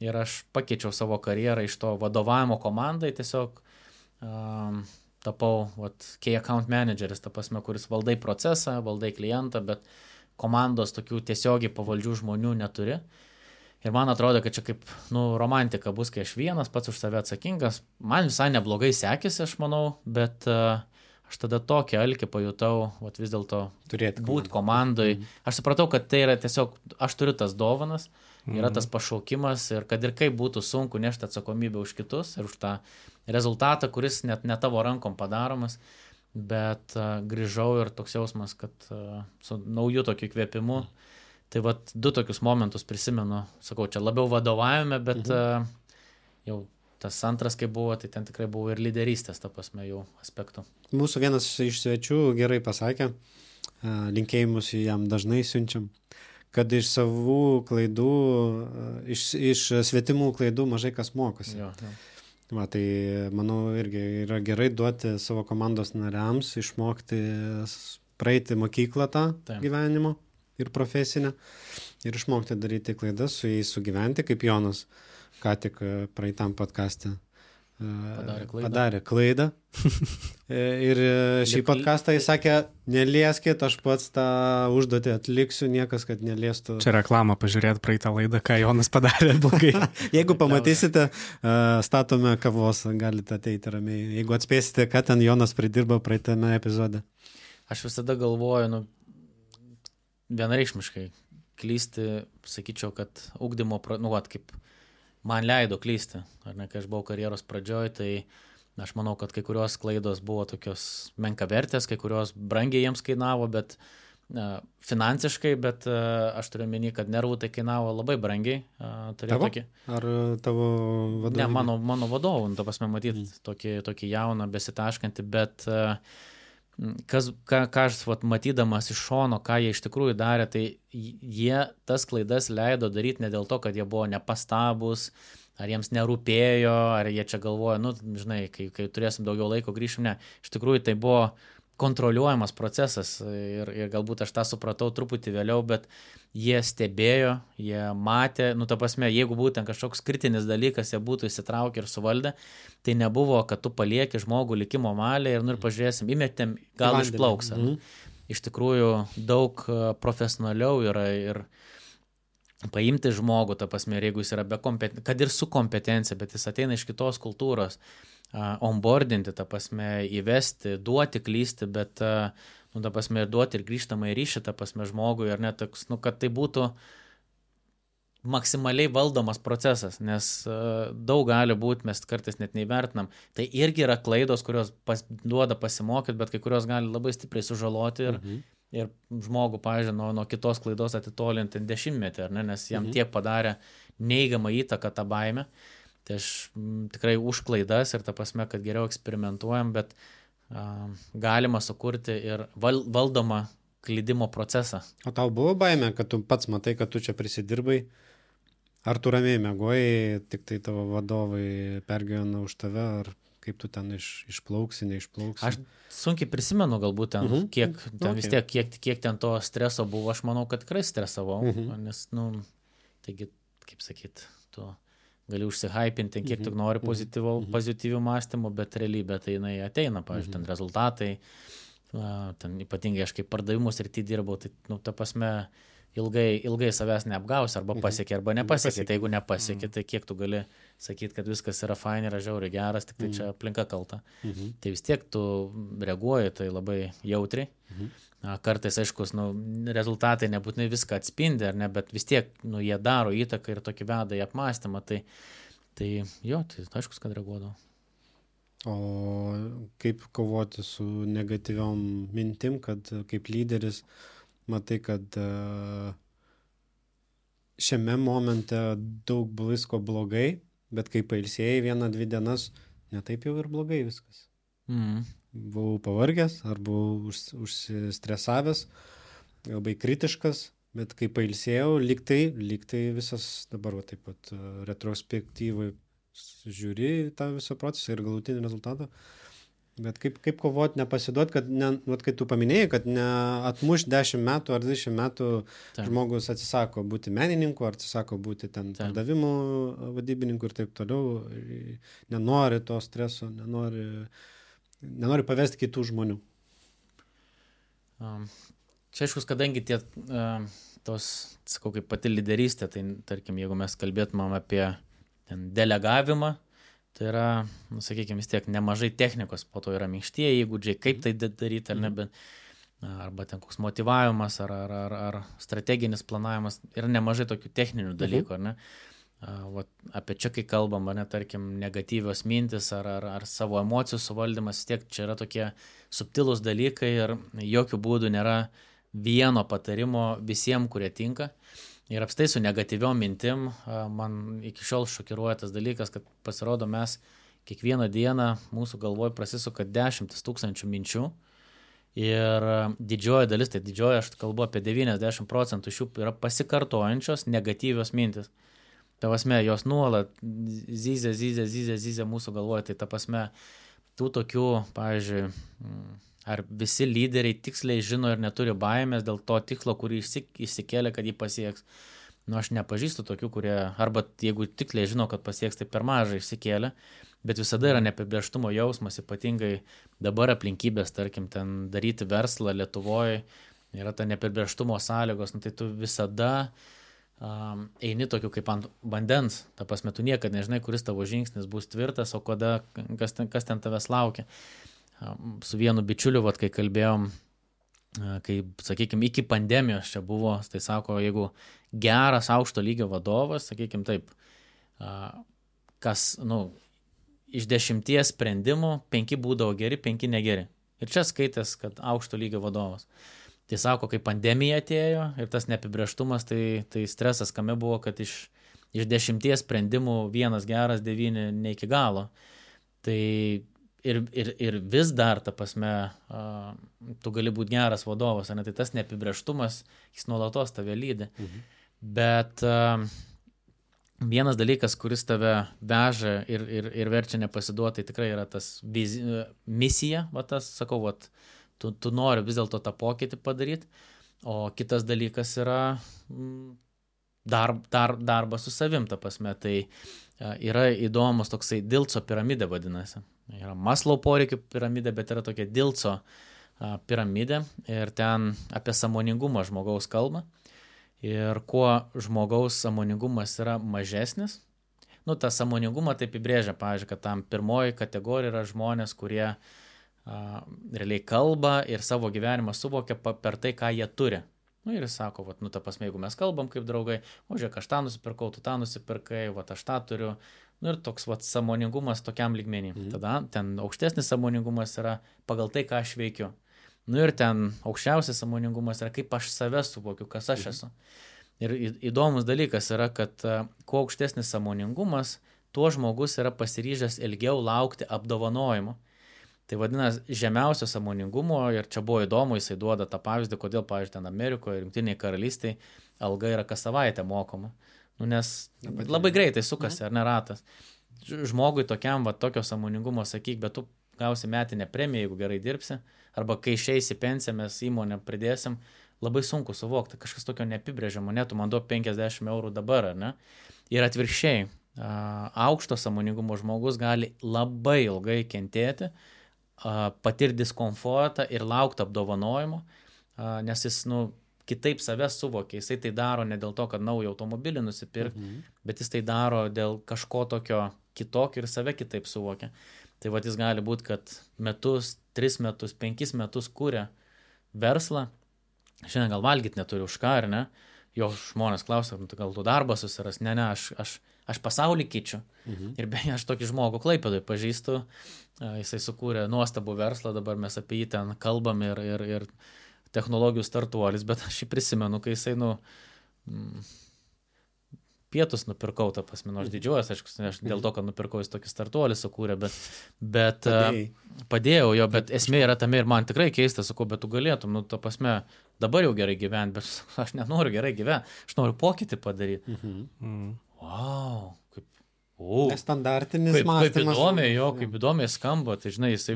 ir aš pakeičiau savo karjerą iš to vadovavimo komandai, tiesiog tapau key account manageris, ta prasme, kuris valdai procesą, valdai klientą, bet komandos tokių tiesiogiai pavaldžių žmonių neturi. Ir man atrodo, kad čia kaip romantika bus, kai aš vienas pats už save atsakingas. Man visai neblogai sekėsi, aš manau, bet aš tada tokį alkį pajutau, vis dėlto būti komandoj. Aš supratau, kad tai yra tiesiog, aš turiu tas dovanas, yra tas pašaukimas ir kad ir kaip būtų sunku nešti atsakomybę už kitus ir už tą rezultatą, kuris net ne tavo rankom padaromas, bet grįžau ir toks jausmas, kad su nauju tokiu įkvėpimu. Tai 2 tokius momentus prisimenu, sakau, čia labiau vadovavime, bet jau tas antras, kai buvo, tai ten tikrai buvo ir lyderystės, ta prasme, jau aspektų. Mūsų vienas iš svečių gerai pasakė, linkėjimus jam dažnai siunčiam, kad iš savų klaidų, iš svetimų klaidų mažai kas mokosi. Jo. Tai manau irgi yra gerai duoti savo komandos nariams, išmokti, praeiti mokyklą tą gyvenimo ir profesinę ir išmokti daryti klaidas, su jais sugyventi, kaip Jonas ką tik praeitam podcaste padarė klaidą. Ir šį podcastą jis sakė, nelieskit, aš pats tą užduotį atliksiu, niekas, kad neliestų. Čia reklama, pažiūrėti praeitą laidą, ką Jonas padarė blogai. Jeigu pamatysite, statome kavos, galite ateiti ramiai. Jeigu atspėsite, ką ten Jonas pridirbo praeitame epizode. Aš visada galvoju, vienareikšmiškai klysti, sakyčiau, kad ugdymo, kaip man leido klysti, ar ne, kai aš buvau karjeros pradžioj, tai aš manau, kad kai kurios klaidos buvo tokios menkavertės, kai kurios brangiai jiems kainavo, bet finansiškai, bet aš turiu meni, kad nervų tai kainavo labai brangiai. Tavo? Ar tavo vadovų? Ne, mano vadovų, ta prasme, matyti tokį jauną, besitaškantį, bet ką aš matydamas iš šono, ką jie iš tikrųjų darė, tai jie tas klaidas leido daryti ne dėl to, kad jie buvo nepastabus, ar jiems nerūpėjo, ar jie čia galvoja, žinai, kai turėsim daugiau laiko grįšim, ne. Iš tikrųjų tai buvo kontroliuojamas procesas ir galbūt aš tą supratau truputį vėliau, bet jie stebėjo, jie matė, ta prasme, jeigu būtent kažkoks kritinis dalykas, jie būtų įsitraukę ir suvaldę, tai nebuvo, kad tu palieki žmogų likimo valiai ir pažiūrėsim, įmetėm, gal išplauks. Iš tikrųjų, daug profesionaliau yra ir paimti žmogų, ta prasme, jeigu jis yra kad ir su kompetencija, bet jis ateina iš kitos kultūros, onboardinti, ta prasme, įvesti, duoti klysti, bet, ta prasme, duoti ir grįžtamą į ryšį, ta prasme, žmogui, ar net toks, kad tai būtų maksimaliai valdomas procesas, nes daug gali būti, mes kartais net neįvertinam. Tai irgi yra klaidos, kurios duoda pasimokyti, bet kai kurios gali labai stipriai sužaloti ir žmogų, pavyzdžiui, nuo kitos klaidos atitolinti 10 metį, ar ne, nes jam tiek padarė neigiamą įtaką tą baimę. Tai aš tikrai už klaidas ir ta prasme, kad geriau eksperimentuojam, bet galima sukurti ir valdomą klydimo procesą. O tau buvo baimė, kad tu pats matai, kad tu čia prisidirbai? Ar tu ramiai mėgojai, tik tai tavo vadovai pergyvena už tave, ar kaip tu ten išplauksi, neišplauksi? Aš sunkiai prisimenu galbūt ten, kiek ten vis tiek, kiek ten to streso buvo, aš manau, kad tikrai stresavau, nes, taigi, kaip sakyt, tu gali užsihypinti, kiek tu nori pozityvių mąstymų, bet realybė tai jinai ateina, pavyzdžiui, ten rezultatai, ten ypatingai aš kaip pardavimus rytį dirbau, tai, ta prasme, ilgai savęs neapgausi, arba pasiekė, arba nepasiekė. Tai jeigu nepasiekė, tai kiek tu gali sakyti, kad viskas yra fain, yra žiauriai geras, tik tai čia aplinka kalta. Tai vis tiek tu reaguoji tai labai jautriai. Kartais, aiškus, rezultatai nebūtinai viską atspindi, ar ne, bet vis tiek, jie daro įtaką ir tokį veda į apmąstymą. Tai aiškus, kad reaguodavo. O kaip kovoti su negatyviom mintim, kad kaip lyderis matai, kad šiame momente daug visko blogai, bet kai pailsėjai 1-2 dienas, ne taip jau ir blogai viskas. Buvau pavargęs, ar buvau užsistresavęs, labai kritiškas, bet kai pailsėjau, lyg tai visas dabar taip pat retrospektyvai žiūri tą visą procesą ir galutinį rezultatą. Bet kaip kovoti, nepasiduoti, kad, kai tu paminėjai, kad neatmuš 10 metų ar 20 metų žmogus atsisako būti menininku, ar atsisako būti ten pardavimų vadybininku ir taip toliau, nenori to streso, nenori pavesti kitų žmonių. Čia aiškus, kadangi sakau, kaip pati lyderystė, tai tarkim, jeigu mes kalbėtumėm apie delegavimą, tai yra, sakykime, vis tiek nemažai technikos, po to yra minkštieji įgūdžiai, kaip tai daryti, ar ne, bet, arba ten koks motyvavimas, ar strateginis planavimas, yra nemažai tokių techninių dalykų, ar ne. Apie čia, kai kalbam, ar ne, tarkim, negatyvios mintis, ar savo emocijų suvaldymas, vis tiek čia yra tokie subtilūs dalykai ir jokių būdų nėra vieno patarimo visiems, kurie tinka. Ir apstai su negatyviom mintim, man iki šiol šokiruoja tas dalykas, kad pasirodo mes kiekvieną dieną mūsų galvoj prasisuka 10 000 minčių ir didžioji dalis, tai didžioji, aš kalbu apie 90% iš jų yra pasikartojančios negatyvios mintis. Ta prasme, jos nuolat zyzia mūsų galvoj, tai ta prasme, tų tokių, pavyzdžiui, ar visi lyderiai tiksliai žino ir neturi baimės dėl to tikslo, kurį išsikėlė, kad jį pasieks. Aš nepažįstu tokių, kurie, arba jeigu tiksliai žino, kad pasieks, tai per mažai išsikėlė. bet visada yra neapibrėžtumo jausmas, ypatingai dabar aplinkybės, tarkim, ten daryti verslą Lietuvoje, yra ta neapibrėžtumo sąlygos, nu, tai tu visada eini tokiu kaip ant vandens, ta prasme, tu niekada nežinai, kuris tavo žingsnis bus tvirtas, o kada, kas ten tavęs laukia. Su vienu bičiuliu, kai kalbėjom, kai, sakykime, iki pandemijos čia buvo, tai sako, jeigu geras aukšto lygio vadovas, sakykime taip, kas, nu, iš 10 sprendimų 5 būdavo geri, 5 negeri. Ir čia skaitęs, kad aukšto lygio vadovas. Tai sako, kai pandemija atėjo ir tas neapibrėžtumas, tai stresas kame buvo, kad iš 10 sprendimų 1 geras, 9 ne iki galo. Tai ir vis dar, ta prasme, tu gali būti geras vadovas, ne? Tai tas neapibrėžtumas, jis nuolatos tave lydi. Bet vienas dalykas, kuris tave veža ir verčia nepasiduoti, tai tikrai yra tas misija, va tas, sakau, tu nori vis dėlto tą pokytį padaryti, o kitas dalykas yra darbas su savim, ta prasme, tai yra įdomus toksai Dilco piramidė vadinasi. Yra Maslow poreikių piramidė, bet yra tokia Dilco piramidė ir ten apie sąmoningumą žmogaus kalba. Ir kuo žmogaus sąmoningumas yra mažesnis, nu, tą sąmoningumą taip įbrėžia, pavyzdžiui, kad tam pirmoji kategorija yra žmonės, kurie realiai kalba ir savo gyvenimą suvokia per tai, ką jie turi. Nu, ir jis sako, nu, ta prasme, jeigu mes kalbam kaip draugai, o žiūrėk, aš tą nusipirkau, tu tą nusipirkai, aš tą turiu. Nu, ir toks sąmoningumas tokiam lygmenį. Tada ten aukštesnis sąmoningumas yra pagal tai, ką aš veikiu. Nu ir ten aukščiausias sąmoningumas yra, kaip aš save suvokiu, kas aš esu. Ir įdomus dalykas yra, kad kuo aukštesnis sąmoningumas, tuo žmogus yra pasiryžęs ilgiau laukti apdovanojimo. Tai vadinasi, žemiausio sąmoningumo, ir čia buvo įdomu, jisai duoda tą pavyzdį, kodėl, pavyzdžiui, ten Amerikoje ir Jungtinėje karalystėje alga yra kas savaitę mokoma. Nu, nes labai greitai sukasi, ar ne ratas. Žmogui tokiam, tokio sąmoningumo sakyk, bet tu gausi metinę premiją, jeigu gerai dirbsi, arba kai išeisi pensiją, mes įmonę pridėsim, labai sunku suvokti, kažkas tokio neapibrėžiamo, tu man duok 50 eurų dabar, ar ne? Ir atvirkščiai, aukšto sąmoningumo žmogus gali labai ilgai kentėti, patirti diskomfortą ir laukti apdovanojimo, nes jis, kitaip savęs suvokia, jisai tai daro ne dėl to, kad naują automobilį nusipirkti, bet jis tai daro dėl kažko tokio kitokio ir save kitaip suvokia. Tai jis gali būti, kad metus, 3 metus, 5 metus kūrė verslą, šiandien gal valgyti neturi už ką, ar ne? Jo žmonės klausia, gal tu darbą susiras, ne, aš pasaulį keičiu. Ir beje, aš tokį žmogų Klaipėdoje pažįstu, jisai sukūrė nuostabų verslą, dabar mes apie jį ten kalbam ir technologijų startuolis, bet aš jį prisimenu, kai jisai, pietus nupirkau, tą prasme, aš didžiuojas, aš dėl to, kad nupirkau, jis tokį startuolį sukūrė, bet padėjau jo, bet esmė yra tame ir man tikrai keista, sakau, bet tu galėtum, tą prasme, dabar jau gerai gyventi, bet aš nenoriu gerai gyventi, aš noriu pokytį padaryti. Wow, kaip nestandartinis mąstymas. Kaip įdomiai skamba, tai žinai, jisai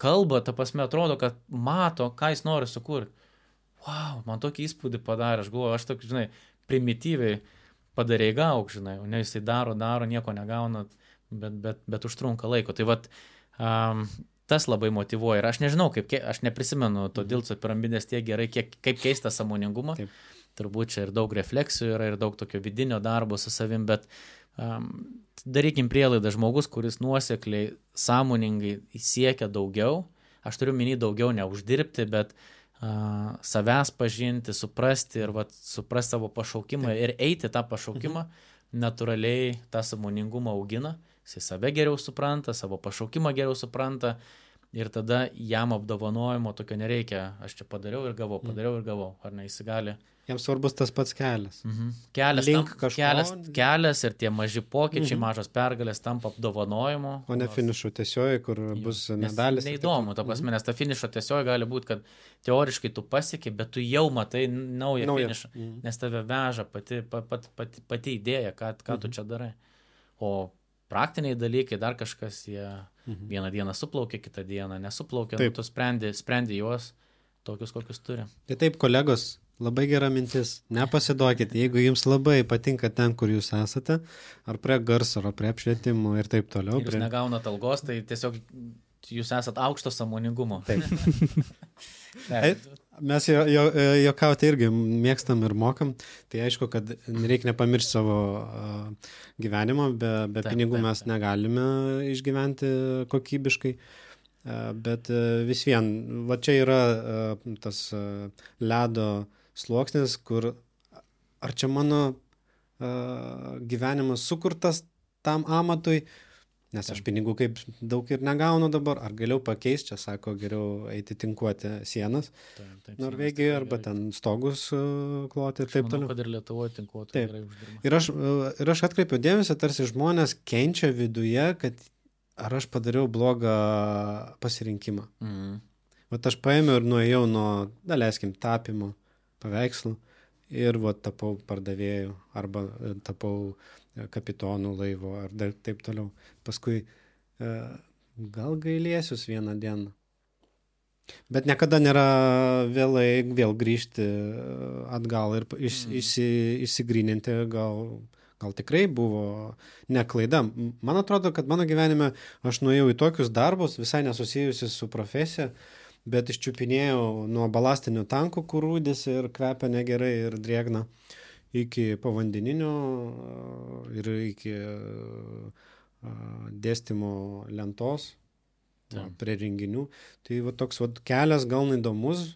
kalba, ta prasme, atrodo, kad mato, ką jis nori sukurti. Wow, man tokį įspūdį padarė, aš galvoju, aš tokį, žinai, primityviai padarė gauk, žinai, o ne jisai daro, nieko negauna, bet užtrunka laiko. Tai tas labai motyvuoja ir aš nežinau, aš neprisimenu to Dilco piramidės tiek gerai, kaip keista sąmoningumą. Taip. Turbūt čia ir daug refleksijų yra, ir daug tokio vidinio darbo su savim, bet darykim prielaidą, žmogus, kuris nuosekliai, sąmoningai siekia daugiau, aš turiu minį daugiau neuždirbti, bet savęs pažinti, suprasti ir suprasti savo pašaukimą ir eiti tą pašaukimą, natūraliai tą sąmoningumą augina, jisai save geriau supranta, savo pašaukimą geriau supranta ir tada jam apdovanojimo tokio nereikia, aš čia padariau ir gavau, ar ne, jis gali. Jam svarbus tas pats kelias. Kelias ir tie maži pokyčiai, mažos pergalės tampa apdovanojimo. O ne finišo tiesioji, kur bus medalis. Neįdomu, ta prasme, nes ta finišo tiesioji gali būti, kad teoriškai tu pasieki, bet tu jau matai naują finišą, nes tave veža pati idėja, ką tu čia darai. O praktiniai dalykai, dar kažkas, jie vieną dieną suplaukia, kitą dieną nesuplaukia, tu sprendi juos tokius, kokius turi. Tai taip, kolegos, Labai gera mintis. Nepasiduokit, jeigu jums labai patinka ten, kur jūs esate, ar prie garso, ar prie apšvietimo ir taip toliau. Ir jūs negaunat algos, tai tiesiog jūs esat aukšto sąmoningumo. Taip. Mes juokauti irgi mėgstam ir mokam. Tai aišku, kad reikia nepamiršti savo gyvenimo, be pinigų mes negalime išgyventi kokybiškai. Bet vis vien, va čia yra tas ledo sluoksnis, kur ar čia mano gyvenimas sukurtas tam amatui, nes aš pinigų kaip daug ir negaunu dabar, ar galiu pakeisti, čia sako, geriau eiti tinkuoti sienas Norvegijoje arba ten stogus kloti ir taip toliau. Kad ir Lietuvoje tinkuoti gerai Ir uždirba. aš atkreipiu dėmesį, tarsi žmonės kenčia viduje, kad ar aš padariau blogą pasirinkimą. Vat aš paėmiau ir nuėjau nuo, daleiskim, tapimo paveikslų ir vat tapau pardavėjų arba tapau kapitonų laivo ar dar taip toliau. Paskui gal gailėsius vieną dieną. Bet niekada nėra vėlai vėl grįžti atgal ir išsigryninti, gal tikrai buvo neklaida. Man atrodo, kad mano gyvenime aš nuėjau į tokius darbus, visai nesusijusi su profesija, bet iščiupinėjau nuo balastinių tankų, kur rūdis ir kvepia negerai ir drėgna, iki povandeninio ir iki dėstymo lentos prie renginių. Tai va toks va kelias gal įdomus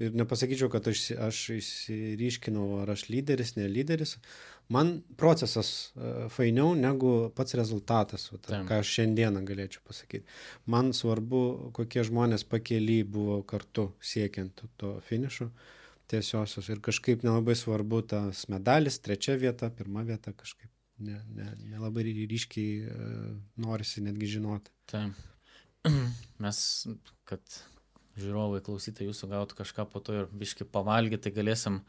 ir nepasakyčiau, kad aš išsiryškinau, ar aš lyderis, ne lyderis. Man procesas fainiau negu pats rezultatas, ką aš šiandieną galėčiau pasakyti. Man svarbu, kokie žmonės pakely buvo kartu siekiant to finišo tiesiosios ir kažkaip nelabai svarbu tas medalis, 3 vieta, 1 vieta, kažkaip nelabai ryškiai norisi netgi žinoti. Taip. Mes, kad žiūrovai klausytojai jūsų gautų kažką po to ir biškai pavalgyti, tai galėsim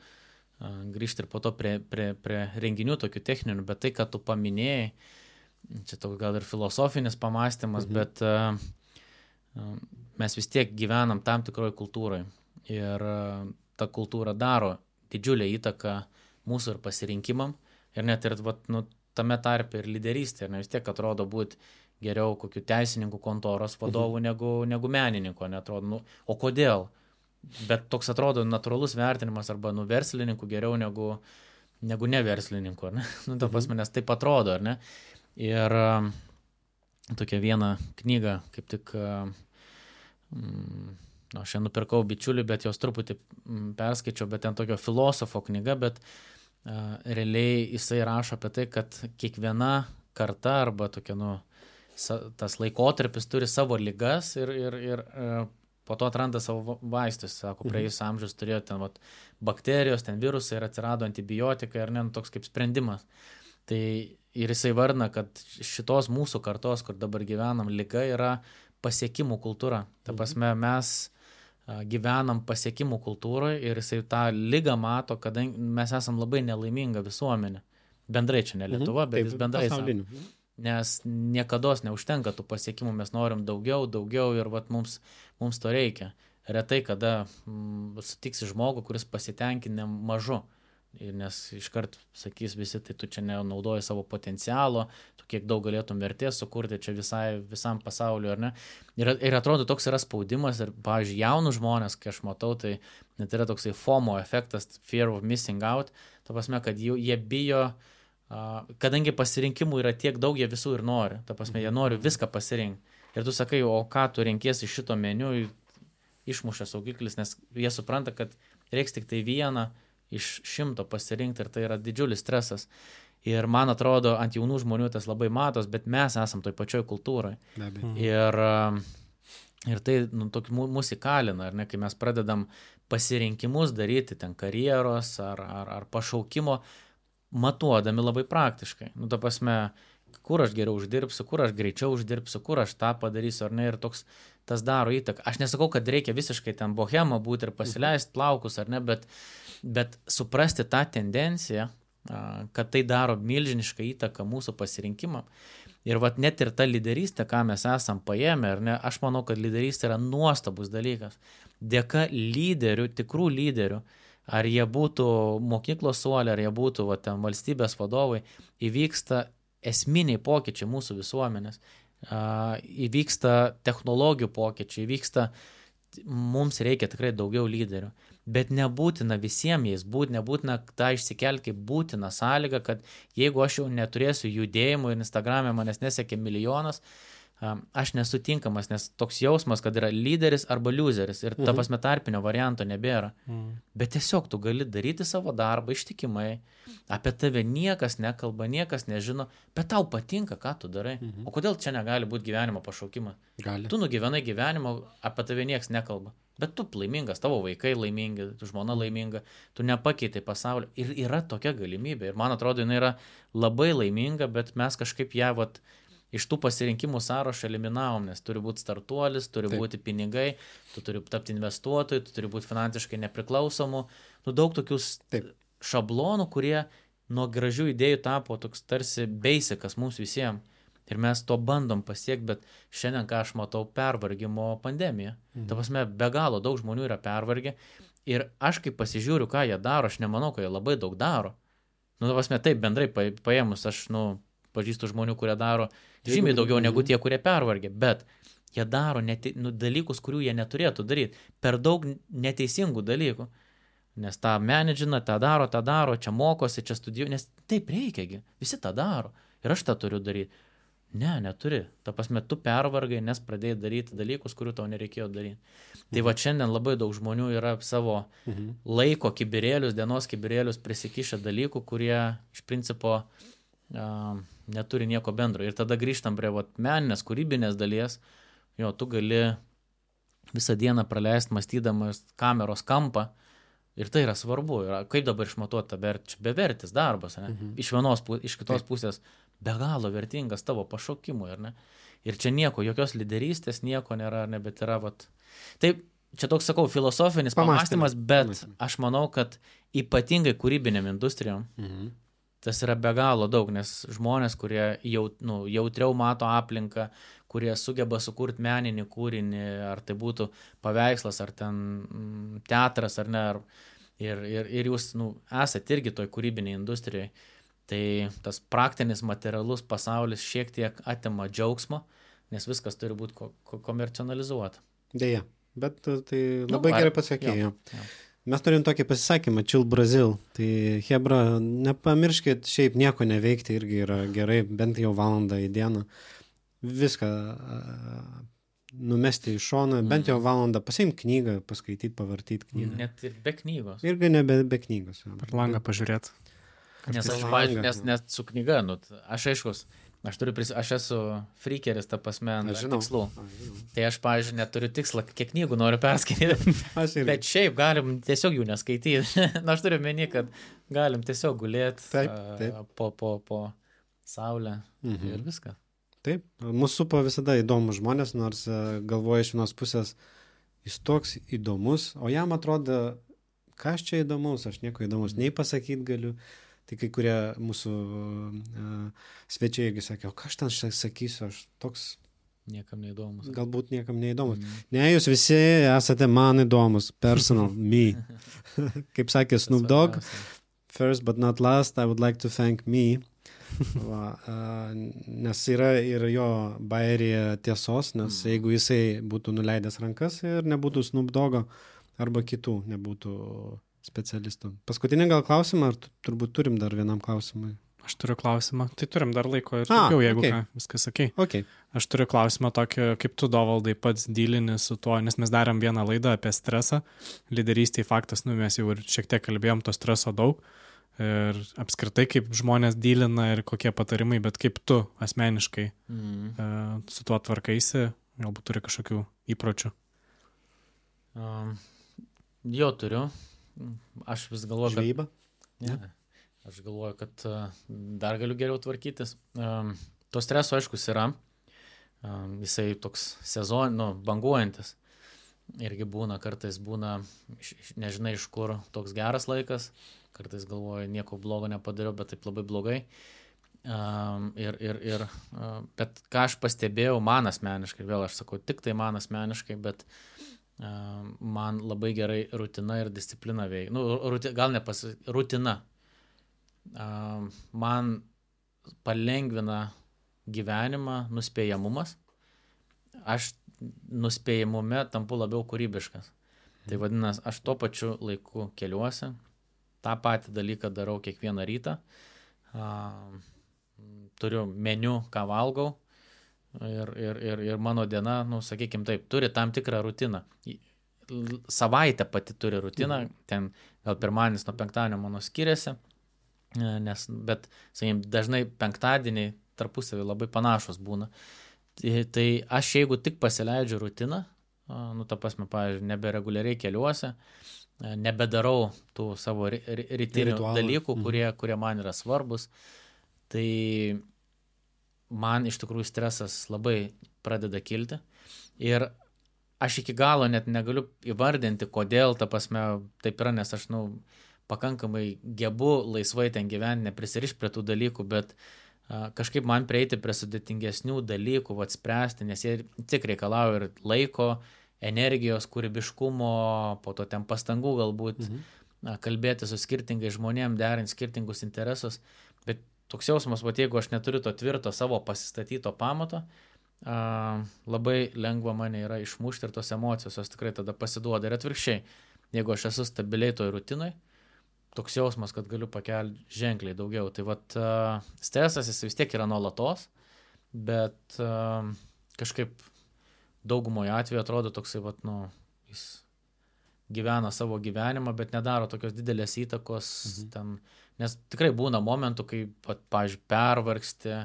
grįžti ir po to prie renginių tokių techninių, bet tai, kad tu paminėjai, čia toks gal ir filosofinis pamąstymas, bet mes vis tiek gyvenam tam tikroje kultūroje ir ta kultūra daro didžiulę įtaką mūsų ir pasirinkimam ir net ir tame tarpe ir lyderystė, ir vis tiek atrodo būti geriau kokių teisininkų kontoros vadovų negu menininko, netrodo, o kodėl? Bet toks atrodo natūralus vertinimas arba verslininkų geriau negu neverslininkų, ar ne? Ta prasme, nes taip atrodo, ar ne? Ir tokia viena knyga, kaip tik, aš ją nupirkau bičiulį, bet jos truputį perskaičiau, bet ten tokio filosofo knyga, bet realiai jisai rašo apie tai, kad kiekviena karta arba tokia, tas laikotarpis turi savo ligas ir po to atranda savo vaistus, sako, praėjus amžius turėjo ten bakterijos, ten virusai ir atsirado antibiotikai, ar ne, toks kaip sprendimas. Tai ir jisai vardina, kad šitos mūsų kartos, kur dabar gyvenam, liga yra pasiekimų kultūra. Ta prasme, mes gyvenam pasiekimų kultūroje ir jisai tą ligą mato, kadangi mes esam labai nelaiminga visuomenė. Bendrai čia ne Lietuva, bet jis bendrai savo. Nes niekados neužtenka tų pasiekimų, mes norim daugiau ir mums to reikia. Retai, kada sutiksi žmogų, kuris pasitenkinę mažu, nes iškart sakys visi, tai tu čia nenaudoji savo potencialo, tu kiek daug galėtum vertės sukurti čia visam pasauliu, ar ne? Ir atrodo, toks yra spaudimas ir, pavyzdžiui, jaunų žmonės, kai aš matau, tai net yra toksai FOMO efektas, fear of missing out, ta prasme, kad jie bijo, kadangi pasirinkimų yra tiek daug, jie visų ir nori. Ta prasme, jie nori viską pasirinkti. Ir tu sakai, o ką tu renkiesi iš šito meniu, išmušia saugiklis, nes jie supranta, kad reiks tik tai vieną iš 100 pasirinkti ir tai yra didžiulis stresas. Ir man atrodo, ant jaunų žmonių tas labai matos, bet mes esam toj pačioj kultūroje. Ir tai mus įkalina, ar ne, kai mes pradedam pasirinkimus daryti, ten karjeros ar pašaukimo, matuodami labai praktiškai. Ta prasme, kur aš geriau uždirbsiu, kur aš greičiau uždirbsiu, kur aš tą padarysiu, ar ne, ir tas daro įtaką. Aš nesakau, kad reikia visiškai ten bohema būti ir pasileisti plaukus, ar ne, bet suprasti tą tendenciją, kad tai daro milžinišką įtaką mūsų pasirinkimam. Ir net ir ta lyderystė, ką mes esam paėmę, ar ne, aš manau, kad lyderystė yra nuostabus dalykas. Dėka lyderių, tikrų lyderių, ar jie būtų mokyklos suolė, ar jie būtų ten valstybės vadovai, įvyksta esminiai pokyčiai mūsų visuomenės, įvyksta technologijų pokyčiai, mums reikia tikrai daugiau lyderių. Bet nebūtina visiems jais būti, nebūtina tą išsikelti kaip būtina sąlyga, kad jeigu aš jau neturėsiu judėjimų ir Instagram'e manęs nesiekia milijonas, aš nesutinkamas, nes toks jausmas, kad yra lyderis arba loseris ir ta prasme tarpinio varianto nebėra. Bet tiesiog tu gali daryti savo darbą ištikimai, apie tave niekas nekalba, niekas nežino, bet tau patinka, ką tu darai. O kodėl čia negali būti gyvenimo pašaukimas? Gali. Tu nugyvenai gyvenimo, apie tave niekas nekalba. Bet tu laimingas, tavo vaikai laimingi, tu žmona laiminga, tu nepakeitai pasaulio. Ir yra tokia galimybė. Ir man atrodo, jinai yra labai laiminga, bet mes kažkaip ją iš tų pasirinkimų sąrašą eliminavom, nes turi būti startuolis, turi būti pinigai, tu turi tapti investuotojai, tu turi būti finansiškai nepriklausomų. Daug tokių šablonų, kurie nuo gražių idėjų tapo toks tarsi basicas mums visiems. Ir mes to bandom pasiekti, bet šiandien, ką aš matau, pervargimo pandemija. Ta prasme, be galo daug žmonių yra pervargę. Ir aš kaip pasižiūriu, ką jie daro, aš nemanau, kad jie labai daug daro. Ta prasme, taip, bendrai paėmus, aš pažįstu žmonių, kurie daro žymiai daugiau negu tie, kurie pervargė. Bet jie daro dalykus, kurių jie neturėtų daryti. Per daug neteisingų dalykų. Nes tą menedžina, tą daro, čia mokosi, čia studijuoja. Nes taip reikiagi. Visi tą daro. Ir aš tą turiu daryti. Ne, neturi. Ta prasme, tu pervargai, nes pradėjai daryti dalykus, kurių tau nereikėjo daryti. Tai šiandien labai daug žmonių yra savo laiko kibirėlius, dienos kibirėlius prisikišę dalykų, kurie iš principo neturi nieko bendro. Ir tada grįžtam prie meninės, kūrybinės dalies. Tu gali visą dieną praleisti mąstydamas kameros kampą. Ir tai yra svarbu. Kaip dabar išmatuoti tą vertę? Bevertis darbas. Iš kitos pusės be galo vertingas tavo pašaukimui. Ir čia nieko, jokios lyderystės, nieko nėra, bet yra. Taip, čia toks, sakau, filosofinis pamąstymas, bet aš manau, kad ypatingai kūrybiniam industrijom tas yra be galo daug, nes žmonės, kurie jautriau mato aplinką, kurie sugeba sukurti meninį kūrinį, ar tai būtų paveikslas, ar ten teatras, ar ne, ir jūs esate irgi toj kūrybiniai industrijai, tai tas praktinis materialus pasaulis šiek tiek atima džiaugsmo, nes viskas turi būti komercionalizuota. Deja, bet tai labai gerai pasakėjai. Mes turim tokį pasisakymą, Chill Brazil, tai hebra, nepamirškit šiaip nieko neveikti, irgi yra gerai, bent jau valandą į dieną, viską numesti į šoną, bent jau valandą pasiimti knygą, paskaityti, pavartyti knygą. Net ir be knygos. Irgi ne be knygos. Per langą pažiūrėti. Nes su knyga, aš esu freakeris, ta prasme, tikslų. Tai aš, pavyzdžiui, neturiu tikslą, kiek knygų noriu perskaityti, bet šiaip galim tiesiog jų neskaityti. Aš turiu meni, kad galim tiesiog gulėti po saulę ir viską. Taip, mūsų supa visada įdomus žmonės, nors galvoja iš vienos pusės, jis toks įdomus, o jam atrodo, kas čia įdomus, aš nieko įdomus, nei pasakyti galiu. Tai kai kurie mūsų svečiai irgi sakė, o ką aš ten sakysiu, aš toks... Niekam neįdomus. Galbūt niekam neįdomus. Ne, jūs visi esate man įdomus, personal, me. Kaip sakė Snoop Dogg, first but not last, I would like to thank me. Nes yra ir jo bairėje tiesos, nes jeigu jisai būtų nuleidęs rankas ir nebūtų Snoop Doggo arba kitų nebūtų specialistų. Paskutinį gal klausimą, ar turbūt turim dar vienam klausimui? Aš turiu klausimą. Tai turim dar laiko ir daugiau, jeigu ką, viskas sakei. Okay. Aš turiu klausimą tokį, kaip tu, Dovaldai, pats dylini su tuo, nes mes darėm vieną laidą apie stresą. Lyderystėj faktas, mes jau ir šiek tiek kalbėjom, to streso daug. Ir apskritai, kaip žmonės dylina ir kokie patarimai, bet kaip tu asmeniškai su tuo tvarkaisi, galbūt turi kažkokių įpročių. Jo turiu. Aš vis galvoju, Žvejyba? Ne. Aš galvoju, kad dar galiu geriau tvarkytis. To streso, aiškus, yra. Jisai toks banguojantis. Irgi kartais būna, nežinai iš kur, toks geras laikas. Kartais galvoju, nieko blogo nepadariau, bet taip labai blogai. Bet ką aš pastebėjau man asmeniškai, vėl aš sakau, tik tai man asmeniškai, bet man labai gerai rutina ir disciplina veikia. Nu, gal ne rutina. Man palengvina gyvenimą nuspėjamumas. Aš nuspėjamume tampu labiau kūrybiškas. Tai vadinasi, aš tuo pačiu laiku keliuosi, tą patį dalyką darau kiekvieną rytą, turiu meniu, ką valgau ir mano diena, nu, sakykime taip, turi tam tikrą rutiną. Savaitė pati turi rutiną, ten gal pirmadienis nuo penktadienio mano skiriasi, bet, sakykime, dažnai penktadieniai tarpusavį labai panašus būna. Tai aš jeigu tik pasileidžiu rutiną, nu, ta prasme, pavyzdžiui, nebereguliariai keliuosi, nebedarau tų savo rytinių dalykų, kurie man yra svarbus, tai man iš tikrųjų stresas labai pradeda kilti. Ir aš iki galo net negaliu įvardinti, kodėl, ta prasme, taip yra, nes aš, nu, pakankamai gebu laisvai ten gyventi, neprisirišti prie tų dalykų, bet kažkaip man prieiti prie sudėtingesnių dalykų, spręsti, nes jie tik reikalauja ir laiko, energijos, kūrybiškumo, po to ten pastangų galbūt, kalbėti su skirtingais žmonėm, derinti skirtingus interesus, bet toks jausmas, jeigu aš neturiu to tvirto savo pasistatyto pamato, labai lengva mane yra išmušti ir tos emocijos, jos tikrai tada pasiduoda. Ir atvirkščiai, jeigu aš esu stabiliai toj rutinai, toks jausmas, kad galiu pakelti ženkliai daugiau. Tai stresas jis vis tiek yra nuolatos, bet kažkaip daugumoje atveju atrodo toksai, jis gyvena savo gyvenimą, bet nedaro tokios didelės įtakos ten, nes tikrai būna momentų, kai, pavyzdžiui, pervargsti,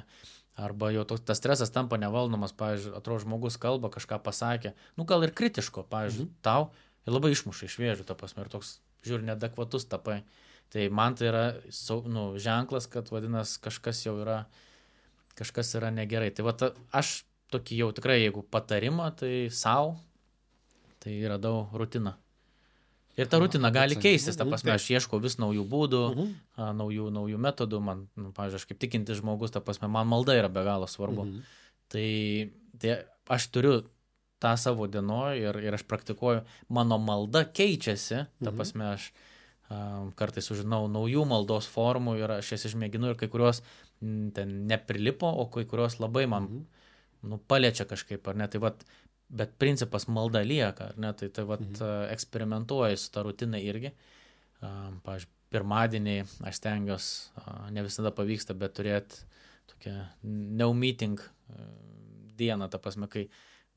arba jau tas stresas tampa nevaldomas, pavyzdžiui, atrodo žmogus kalba, kažką pasakė, nu gal ir kritiško, pavyzdžiui, tau, ir labai išmuša iš vėžių, ta prasme, ir toks, žiūri, neadekvatus tapai. Tai man tai yra ženklas, kad vadinasi, kažkas yra negerai. Tai aš tokį jau tikrai, jeigu patarimą, tai savo, tai radau rutiną. Ir ta rutina gali keistis, ta prasme, aš ieškau vis naujų būdų, naujų metodų, man, pavyzdžiui, aš kaip tikintis žmogus, ta prasme, man malda yra be galo svarbu. Tai aš turiu tą savo dienoj ir aš praktikuoju, mano malda keičiasi, ta prasme, aš kartais sužinau naujų maldos formų ir aš jas išmėginu ir kai kurios ten neprilipo, o kai kurios labai man paliečia kažkaip, ar ne, tai bet principas malda lieka, ar ne, tai eksperimentuoju su tą rutiną irgi. Pavyzdžiui, pirmadieniai aš stengiuosi, ne visada pavyksta, bet turėti tokią no meeting dieną, ta prasme, kai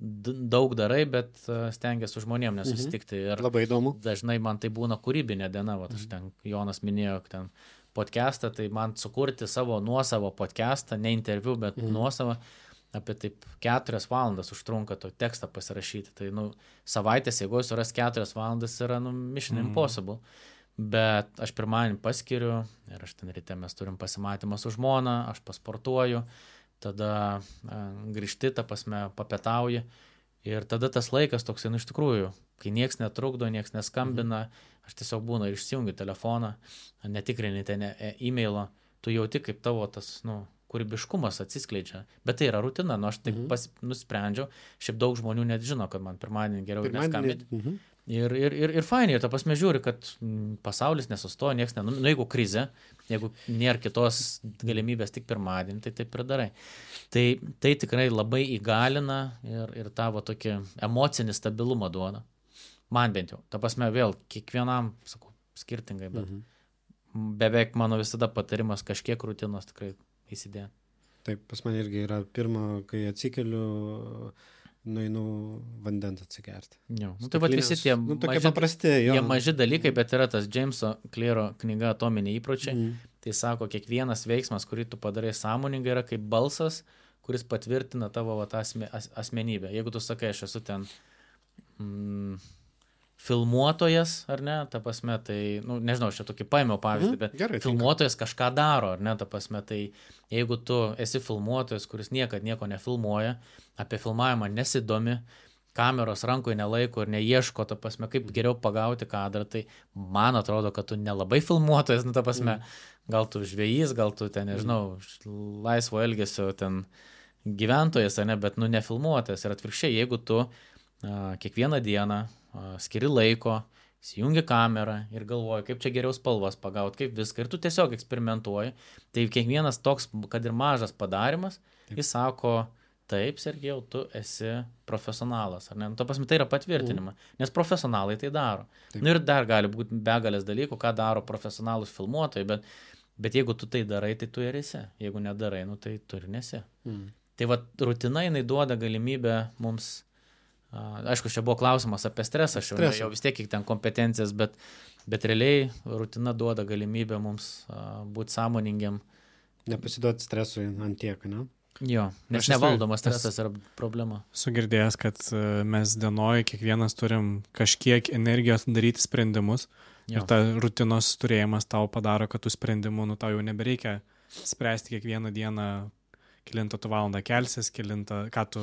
daug darai, bet stengiasi su žmonėm nesusitikti. Ir labai įdomu. Dažnai man tai būna kūrybinė diena, aš ten, Jonas minėjo, ten podcastą, tai man sukurti savo nuosavo podcastą, ne interviu, bet nuosavą, apie taip 4 valandas užtrunka to tekstą pasirašyti. Tai, savaitės, jeigu suras 4 valandas, yra, mission impossible. Bet aš pirmadienį paskiriu ir aš ten ryte mes turim pasimatymą su žmona, aš pasportuoju, tada grįžti, ta prasme, papietauji ir tada tas laikas toks, iš tikrųjų, kai nieks netrukdo, nieks neskambina, aš tiesiog būnu ir išsijungiu telefoną, netikrini ten e-mailo, tu jauti, kaip tavo tas, kūrybiškumas atsiskleidžia, bet tai yra rutina, aš taip nusprendžiau, šiaip daug žmonių net žino, kad man pirmadienį geriau neskambinti. Ir fainiai, ir ta prasme žiūri, kad pasaulis nesustoja, nieks jeigu krizė, jeigu nėra kitos galimybės tik pirmadienį, tai taip ir darai. Tai tikrai labai įgalina ir tavo tokį emocinį stabilumą duoda. Man bent jau. Ta prasme vėl, kiekvienam, sakau, skirtingai, bet beveik mano visada patarimas kažkiek rutinos tikrai įsidėti. Taip, pas man irgi yra pirma, kai atsikeliu, nueinu vandens atsigerti. Jo. Tai visi tie maži dalykai, bet yra tas Jameso Clearo knyga Atominiai įpročiai. Tai sako, kiekvienas veiksmas, kurį tu padarai sąmoningai, yra kaip balsas, kuris patvirtina tavo asmenybę. Jeigu tu sakai, aš esu ten filmuotojas, ar ne, ta prasme, tai, nežinau, aš čia tokį paėmiau pavyzdį, bet gerai, filmuotojas kažką daro, ar ne, ta prasme, tai jeigu tu esi filmuotojas, kuris niekad nieko nefilmuoja, apie filmavimą nesidomi, kameros rankoje nelaiko ir neieško, ta prasme, kaip geriau pagauti kadrą, tai man atrodo, kad tu nelabai filmuotojas, ta prasme, gal tu žvejys, gal tu ten, nežinau, laisvo elgesio ten gyventojas, ne, bet nefilmuotojas. Ir atvirkščiai, jeigu tu kiekvieną dieną skiri laiko, įsijungi kamerą ir galvoji, kaip čia geriau spalvas pagauti, kaip viską. Ir tu tiesiog eksperimentuoji. Tai kiekvienas toks, kad ir mažas padarimas, jis sako, taip, Sergejau, tu esi profesionalas. Ar ne? Nu, to pasme, tai yra patvirtinima, nes profesionalai tai daro. Nu, ir dar gali būti begalės dalykų, ką daro profesionalus filmuotojai, bet jeigu tu tai darai, tai tu ir esi. Jeigu nedarai, nu, tai tu ir nesi. Tai va, rutina jinai duoda galimybę mums. Aišku, čia buvo klausimas apie stresą, aš jau vis tiek kiek ten kompetencijas, bet realiai rutina duoda galimybę mums būti sąmoningiam. Nepasiduoti stresui ant tiek, ne? Jo, nes nevaldomas stresas yra problema. Sugirdėjęs, kad mes dienoje kiekvienas turim kažkiek energijos daryti sprendimus ir ta rutinos turėjimas tau padaro, kad tų sprendimų, nu tau jau nebereikia spręsti kiekvieną dieną, kelintą tu valandą kelsis, ką tu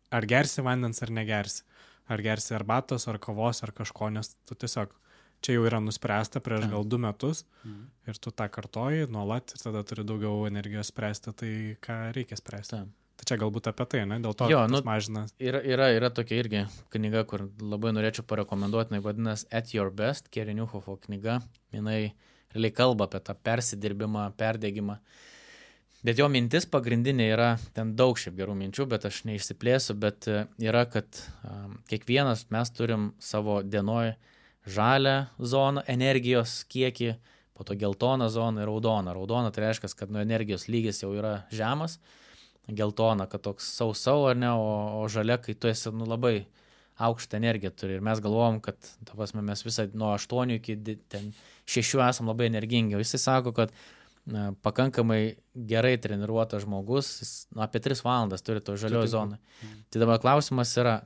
ar gersi vandens, ar negersi. Ar gersi arbatos, ar kavos, ar kažko, nes tu tiesiog čia jau yra nuspręsta prieš gal 2 metus ir tu tą kartoji nuolat ir tada turi daugiau energijos spręsti tai, ką reikia spręsti. Tai čia galbūt apie tai, ne? Dėl to tas mažina. Yra tokia irgi knyga, kur labai norėčiau parekomenduoti, jinai vadinasi At Your Best, Kerry Newhoffo knyga. Jinai realiai kalba apie tą persidirbimą, perdegimą. Bet jo mintis pagrindinė yra, ten daug šiaip gerų minčių, bet aš neišsiplėsiu, bet yra, kad kiekvienas mes turim savo dienoj žalią zoną, energijos kiekį, po to geltoną zoną ir raudoną. Raudona tai reiškia, kad energijos lygis jau yra žemas, geltona, kad toks sau, ar ne, o žalia, kai tu esi labai aukštą energiją turi. Ir mes galvojam, kad mes visą nuo 8 iki 6 esam labai energingi. O jisai sako, kad pakankamai gerai treniruotas žmogus, jis apie 3 valandas turi to žaliojo zoną. Tai dabar klausimas yra,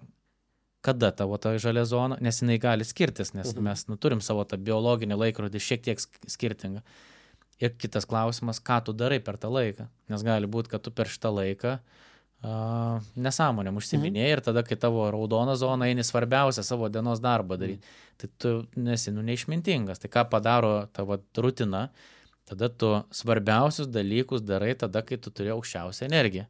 kada tavo ta žalia zona, nes jinai gali skirtis, nes mes turim savo tą biologinį laikrodį šiek tiek skirtingą. Ir kitas klausimas, ką tu darai per tą laiką, nes gali būti, kad tu per šitą laiką nesąmonėm užsiminėjai ir tada, kai tavo raudona zona eini svarbiausia savo dienos darbą daryti, tai tu nesi neišmintingas. Tai ką padaro tavo rutina, tada tu svarbiausius dalykus darai tada, kai tu turi aukščiausią energiją.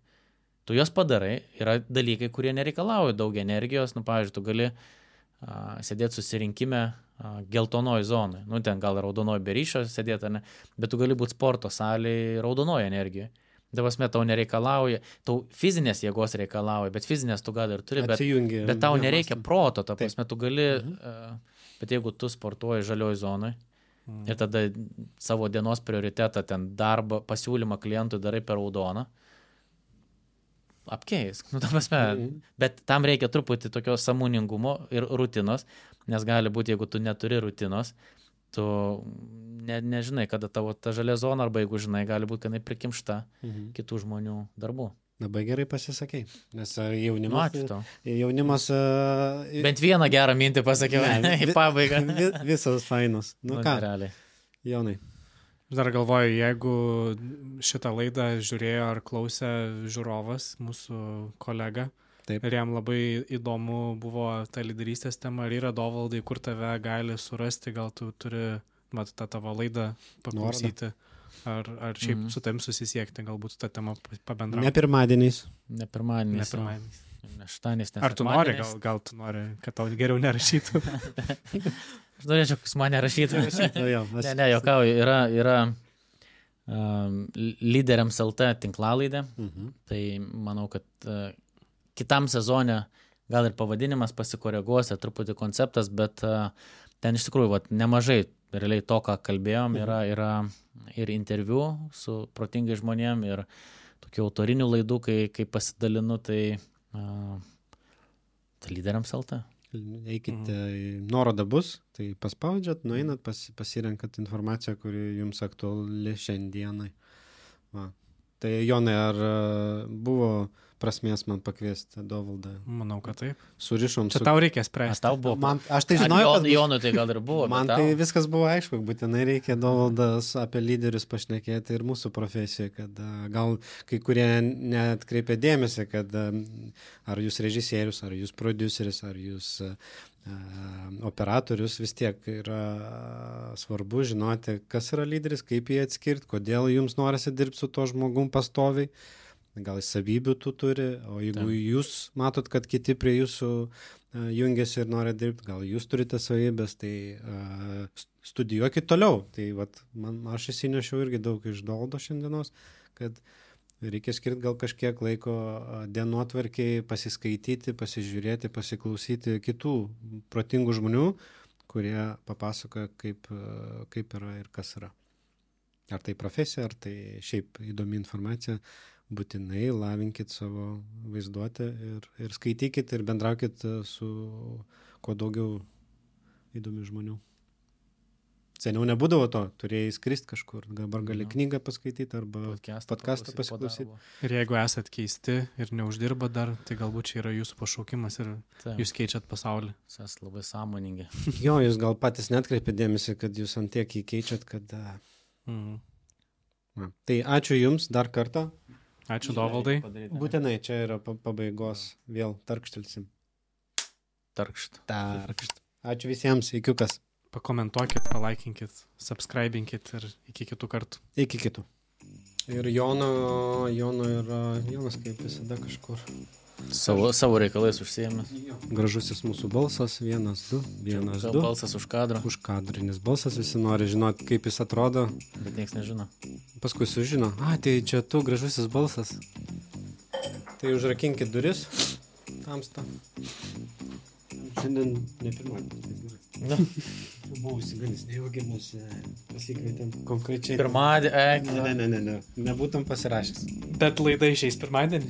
Tu jos padarai, yra dalykai, kurie nereikalauja daug energijos, pavyzdžiui, tu gali sėdėti susirinkime geltonoji zonai, ten gal raudonoji be ryšio sėdėti, ne, bet tu gali būti sporto salėje raudonoji energijoje. Davasme tau nereikalauja, tau fizinės jėgos reikalauja, bet fizinės tu gal ir turi, bet tau nereikia proto, ta prasme, tu gali, bet jeigu tu sportuoji žalioj zonai, ir tada savo dienos prioritetą, ten darbą, pasiūlymą klientui darai per raudoną, apkeisk. Bet tam reikia truputį tokio sąmoningumo ir rutinos, nes gali būti, jeigu tu neturi rutinos, tu nežinai, kada tavo ta žalia zona, arba jeigu žinai, gali būti, kad jinai prikimšta kitų žmonių darbų. Labai gerai pasisakei, nes jaunimas... Bent vieną gerą mintį pasakiau į pabaigą. Visos fainos. Ką? Realiai. Jonai. Aš dar galvoju, jeigu šitą laidą žiūrėjo ar klausė žiūrovas, mūsų kolega, Taip. Ir jam labai įdomu buvo ta lyderystės tema, ar yra Dovaldai, kur tave gali surasti, gal tu turi tą tavo laidą paklausyti. Ar šiaip su tavim susisiekti, galbūt tą temą pabendrauti. Ne pirmadieniais. Ne pirmadieniais. Ne šeštadieniais, nes ar tu nori, gal tu nori, kad tau geriau nerašytų? Aš norėčiau, kad mane rašytų. Ne, jokauju, yra lyderiams LT tinklalaidė, tai manau, kad kitam sezone gal ir pavadinimas pasikoreguos, truputį konceptas, bet ten iš tikrųjų nemažai realiai to, ką kalbėjom, yra ir interviu su protingai žmonėm, ir tokių autorinių laidų, kai pasidalinu, tai lyderiams LT. Eikite į nuorodą bus, tai paspaudžiat, nueinat, pasirenkat informaciją, kuri jums aktuali šiandienai. Tai Jonai, ar buvo prasmės man pakviesti Dovaldą? Manau, kad taip. Surišom čia tau reikia spręsti. Tau buvo. Aš tai žinojau, kad... Jonui tai gal ir buvo. Man tai viskas buvo aišku, būtinai reikia Dovaldas apie lyderius pašnekėti ir mūsų profesiją, kad gal kai kurie neatkreipia dėmesį, kad ar jūs režisierius, ar jūs prodiuseris, ar jūs operatorius, vis tiek yra svarbu žinoti, kas yra lyderis, kaip jį atskirti, kodėl jums norisi dirbti su to žmogum pastoviai. Gal savybių tu turi, o jeigu jūs matot, kad kiti prie jūsų jungiasi ir nori dirbti, gal jūs turite savybės, tai studijuokit toliau. Tai aš įsinešiau irgi daug iš Dovaldo šiandienos, kad reikia skirti gal kažkiek laiko dienotvarkiai, pasiskaityti, pasižiūrėti, pasiklausyti kitų protingų žmonių, kurie papasakoja, kaip yra ir kas yra. Ar tai profesija, ar tai šiaip įdomi informacija, būtinai lavinkit savo vaizduotę ir skaitykit ir bendraukit su kuo daugiau įdomių žmonių. Seniau nebūdavo to, turėjai skristi kažkur, dabar gali knygą paskaityti arba podcastą pasiklausyti. Ir jeigu esat keisti ir neuždirba dar, tai galbūt čia yra jūsų pašaukimas ir jūs keičiat pasaulį. Jūs esate labai sąmoningi. Jo, jūs gal patys netkreipėt dėmesį, kad jūs ant tiek jį keičiat, kad... Tai ačiū Jums dar kartą. Ačiū Dovaldai. Būtinai, čia yra pabaigos. Vėl tarkštelsim. Tarkšt. Ačiū visiems, ikiukas. Pakomentuokit, palaikinkit, subscribinkit ir iki kitų kartų. Iki kitų. Ir Jonas kaip visada kažkur. Savo reikalais užsiėmęs. Gražusis mūsų balsas, 1, 2, 1, 2. Balsas už kadrą. Užkadrinis balsas, visi nori žinoti, kaip jis atrodo. Bet niekas nežino. Paskui sužino, tai čia tu gražusis balsas. Tai užrakinkit duris. Tamsta. Šiandien ne pirmadienis. Buvau įsigalis, nejaugi mes pasikvietėm konkrečiai. Pirmadienį. Ne. Nebūtum pasirašęs. Bet laida išeis pirmadienį.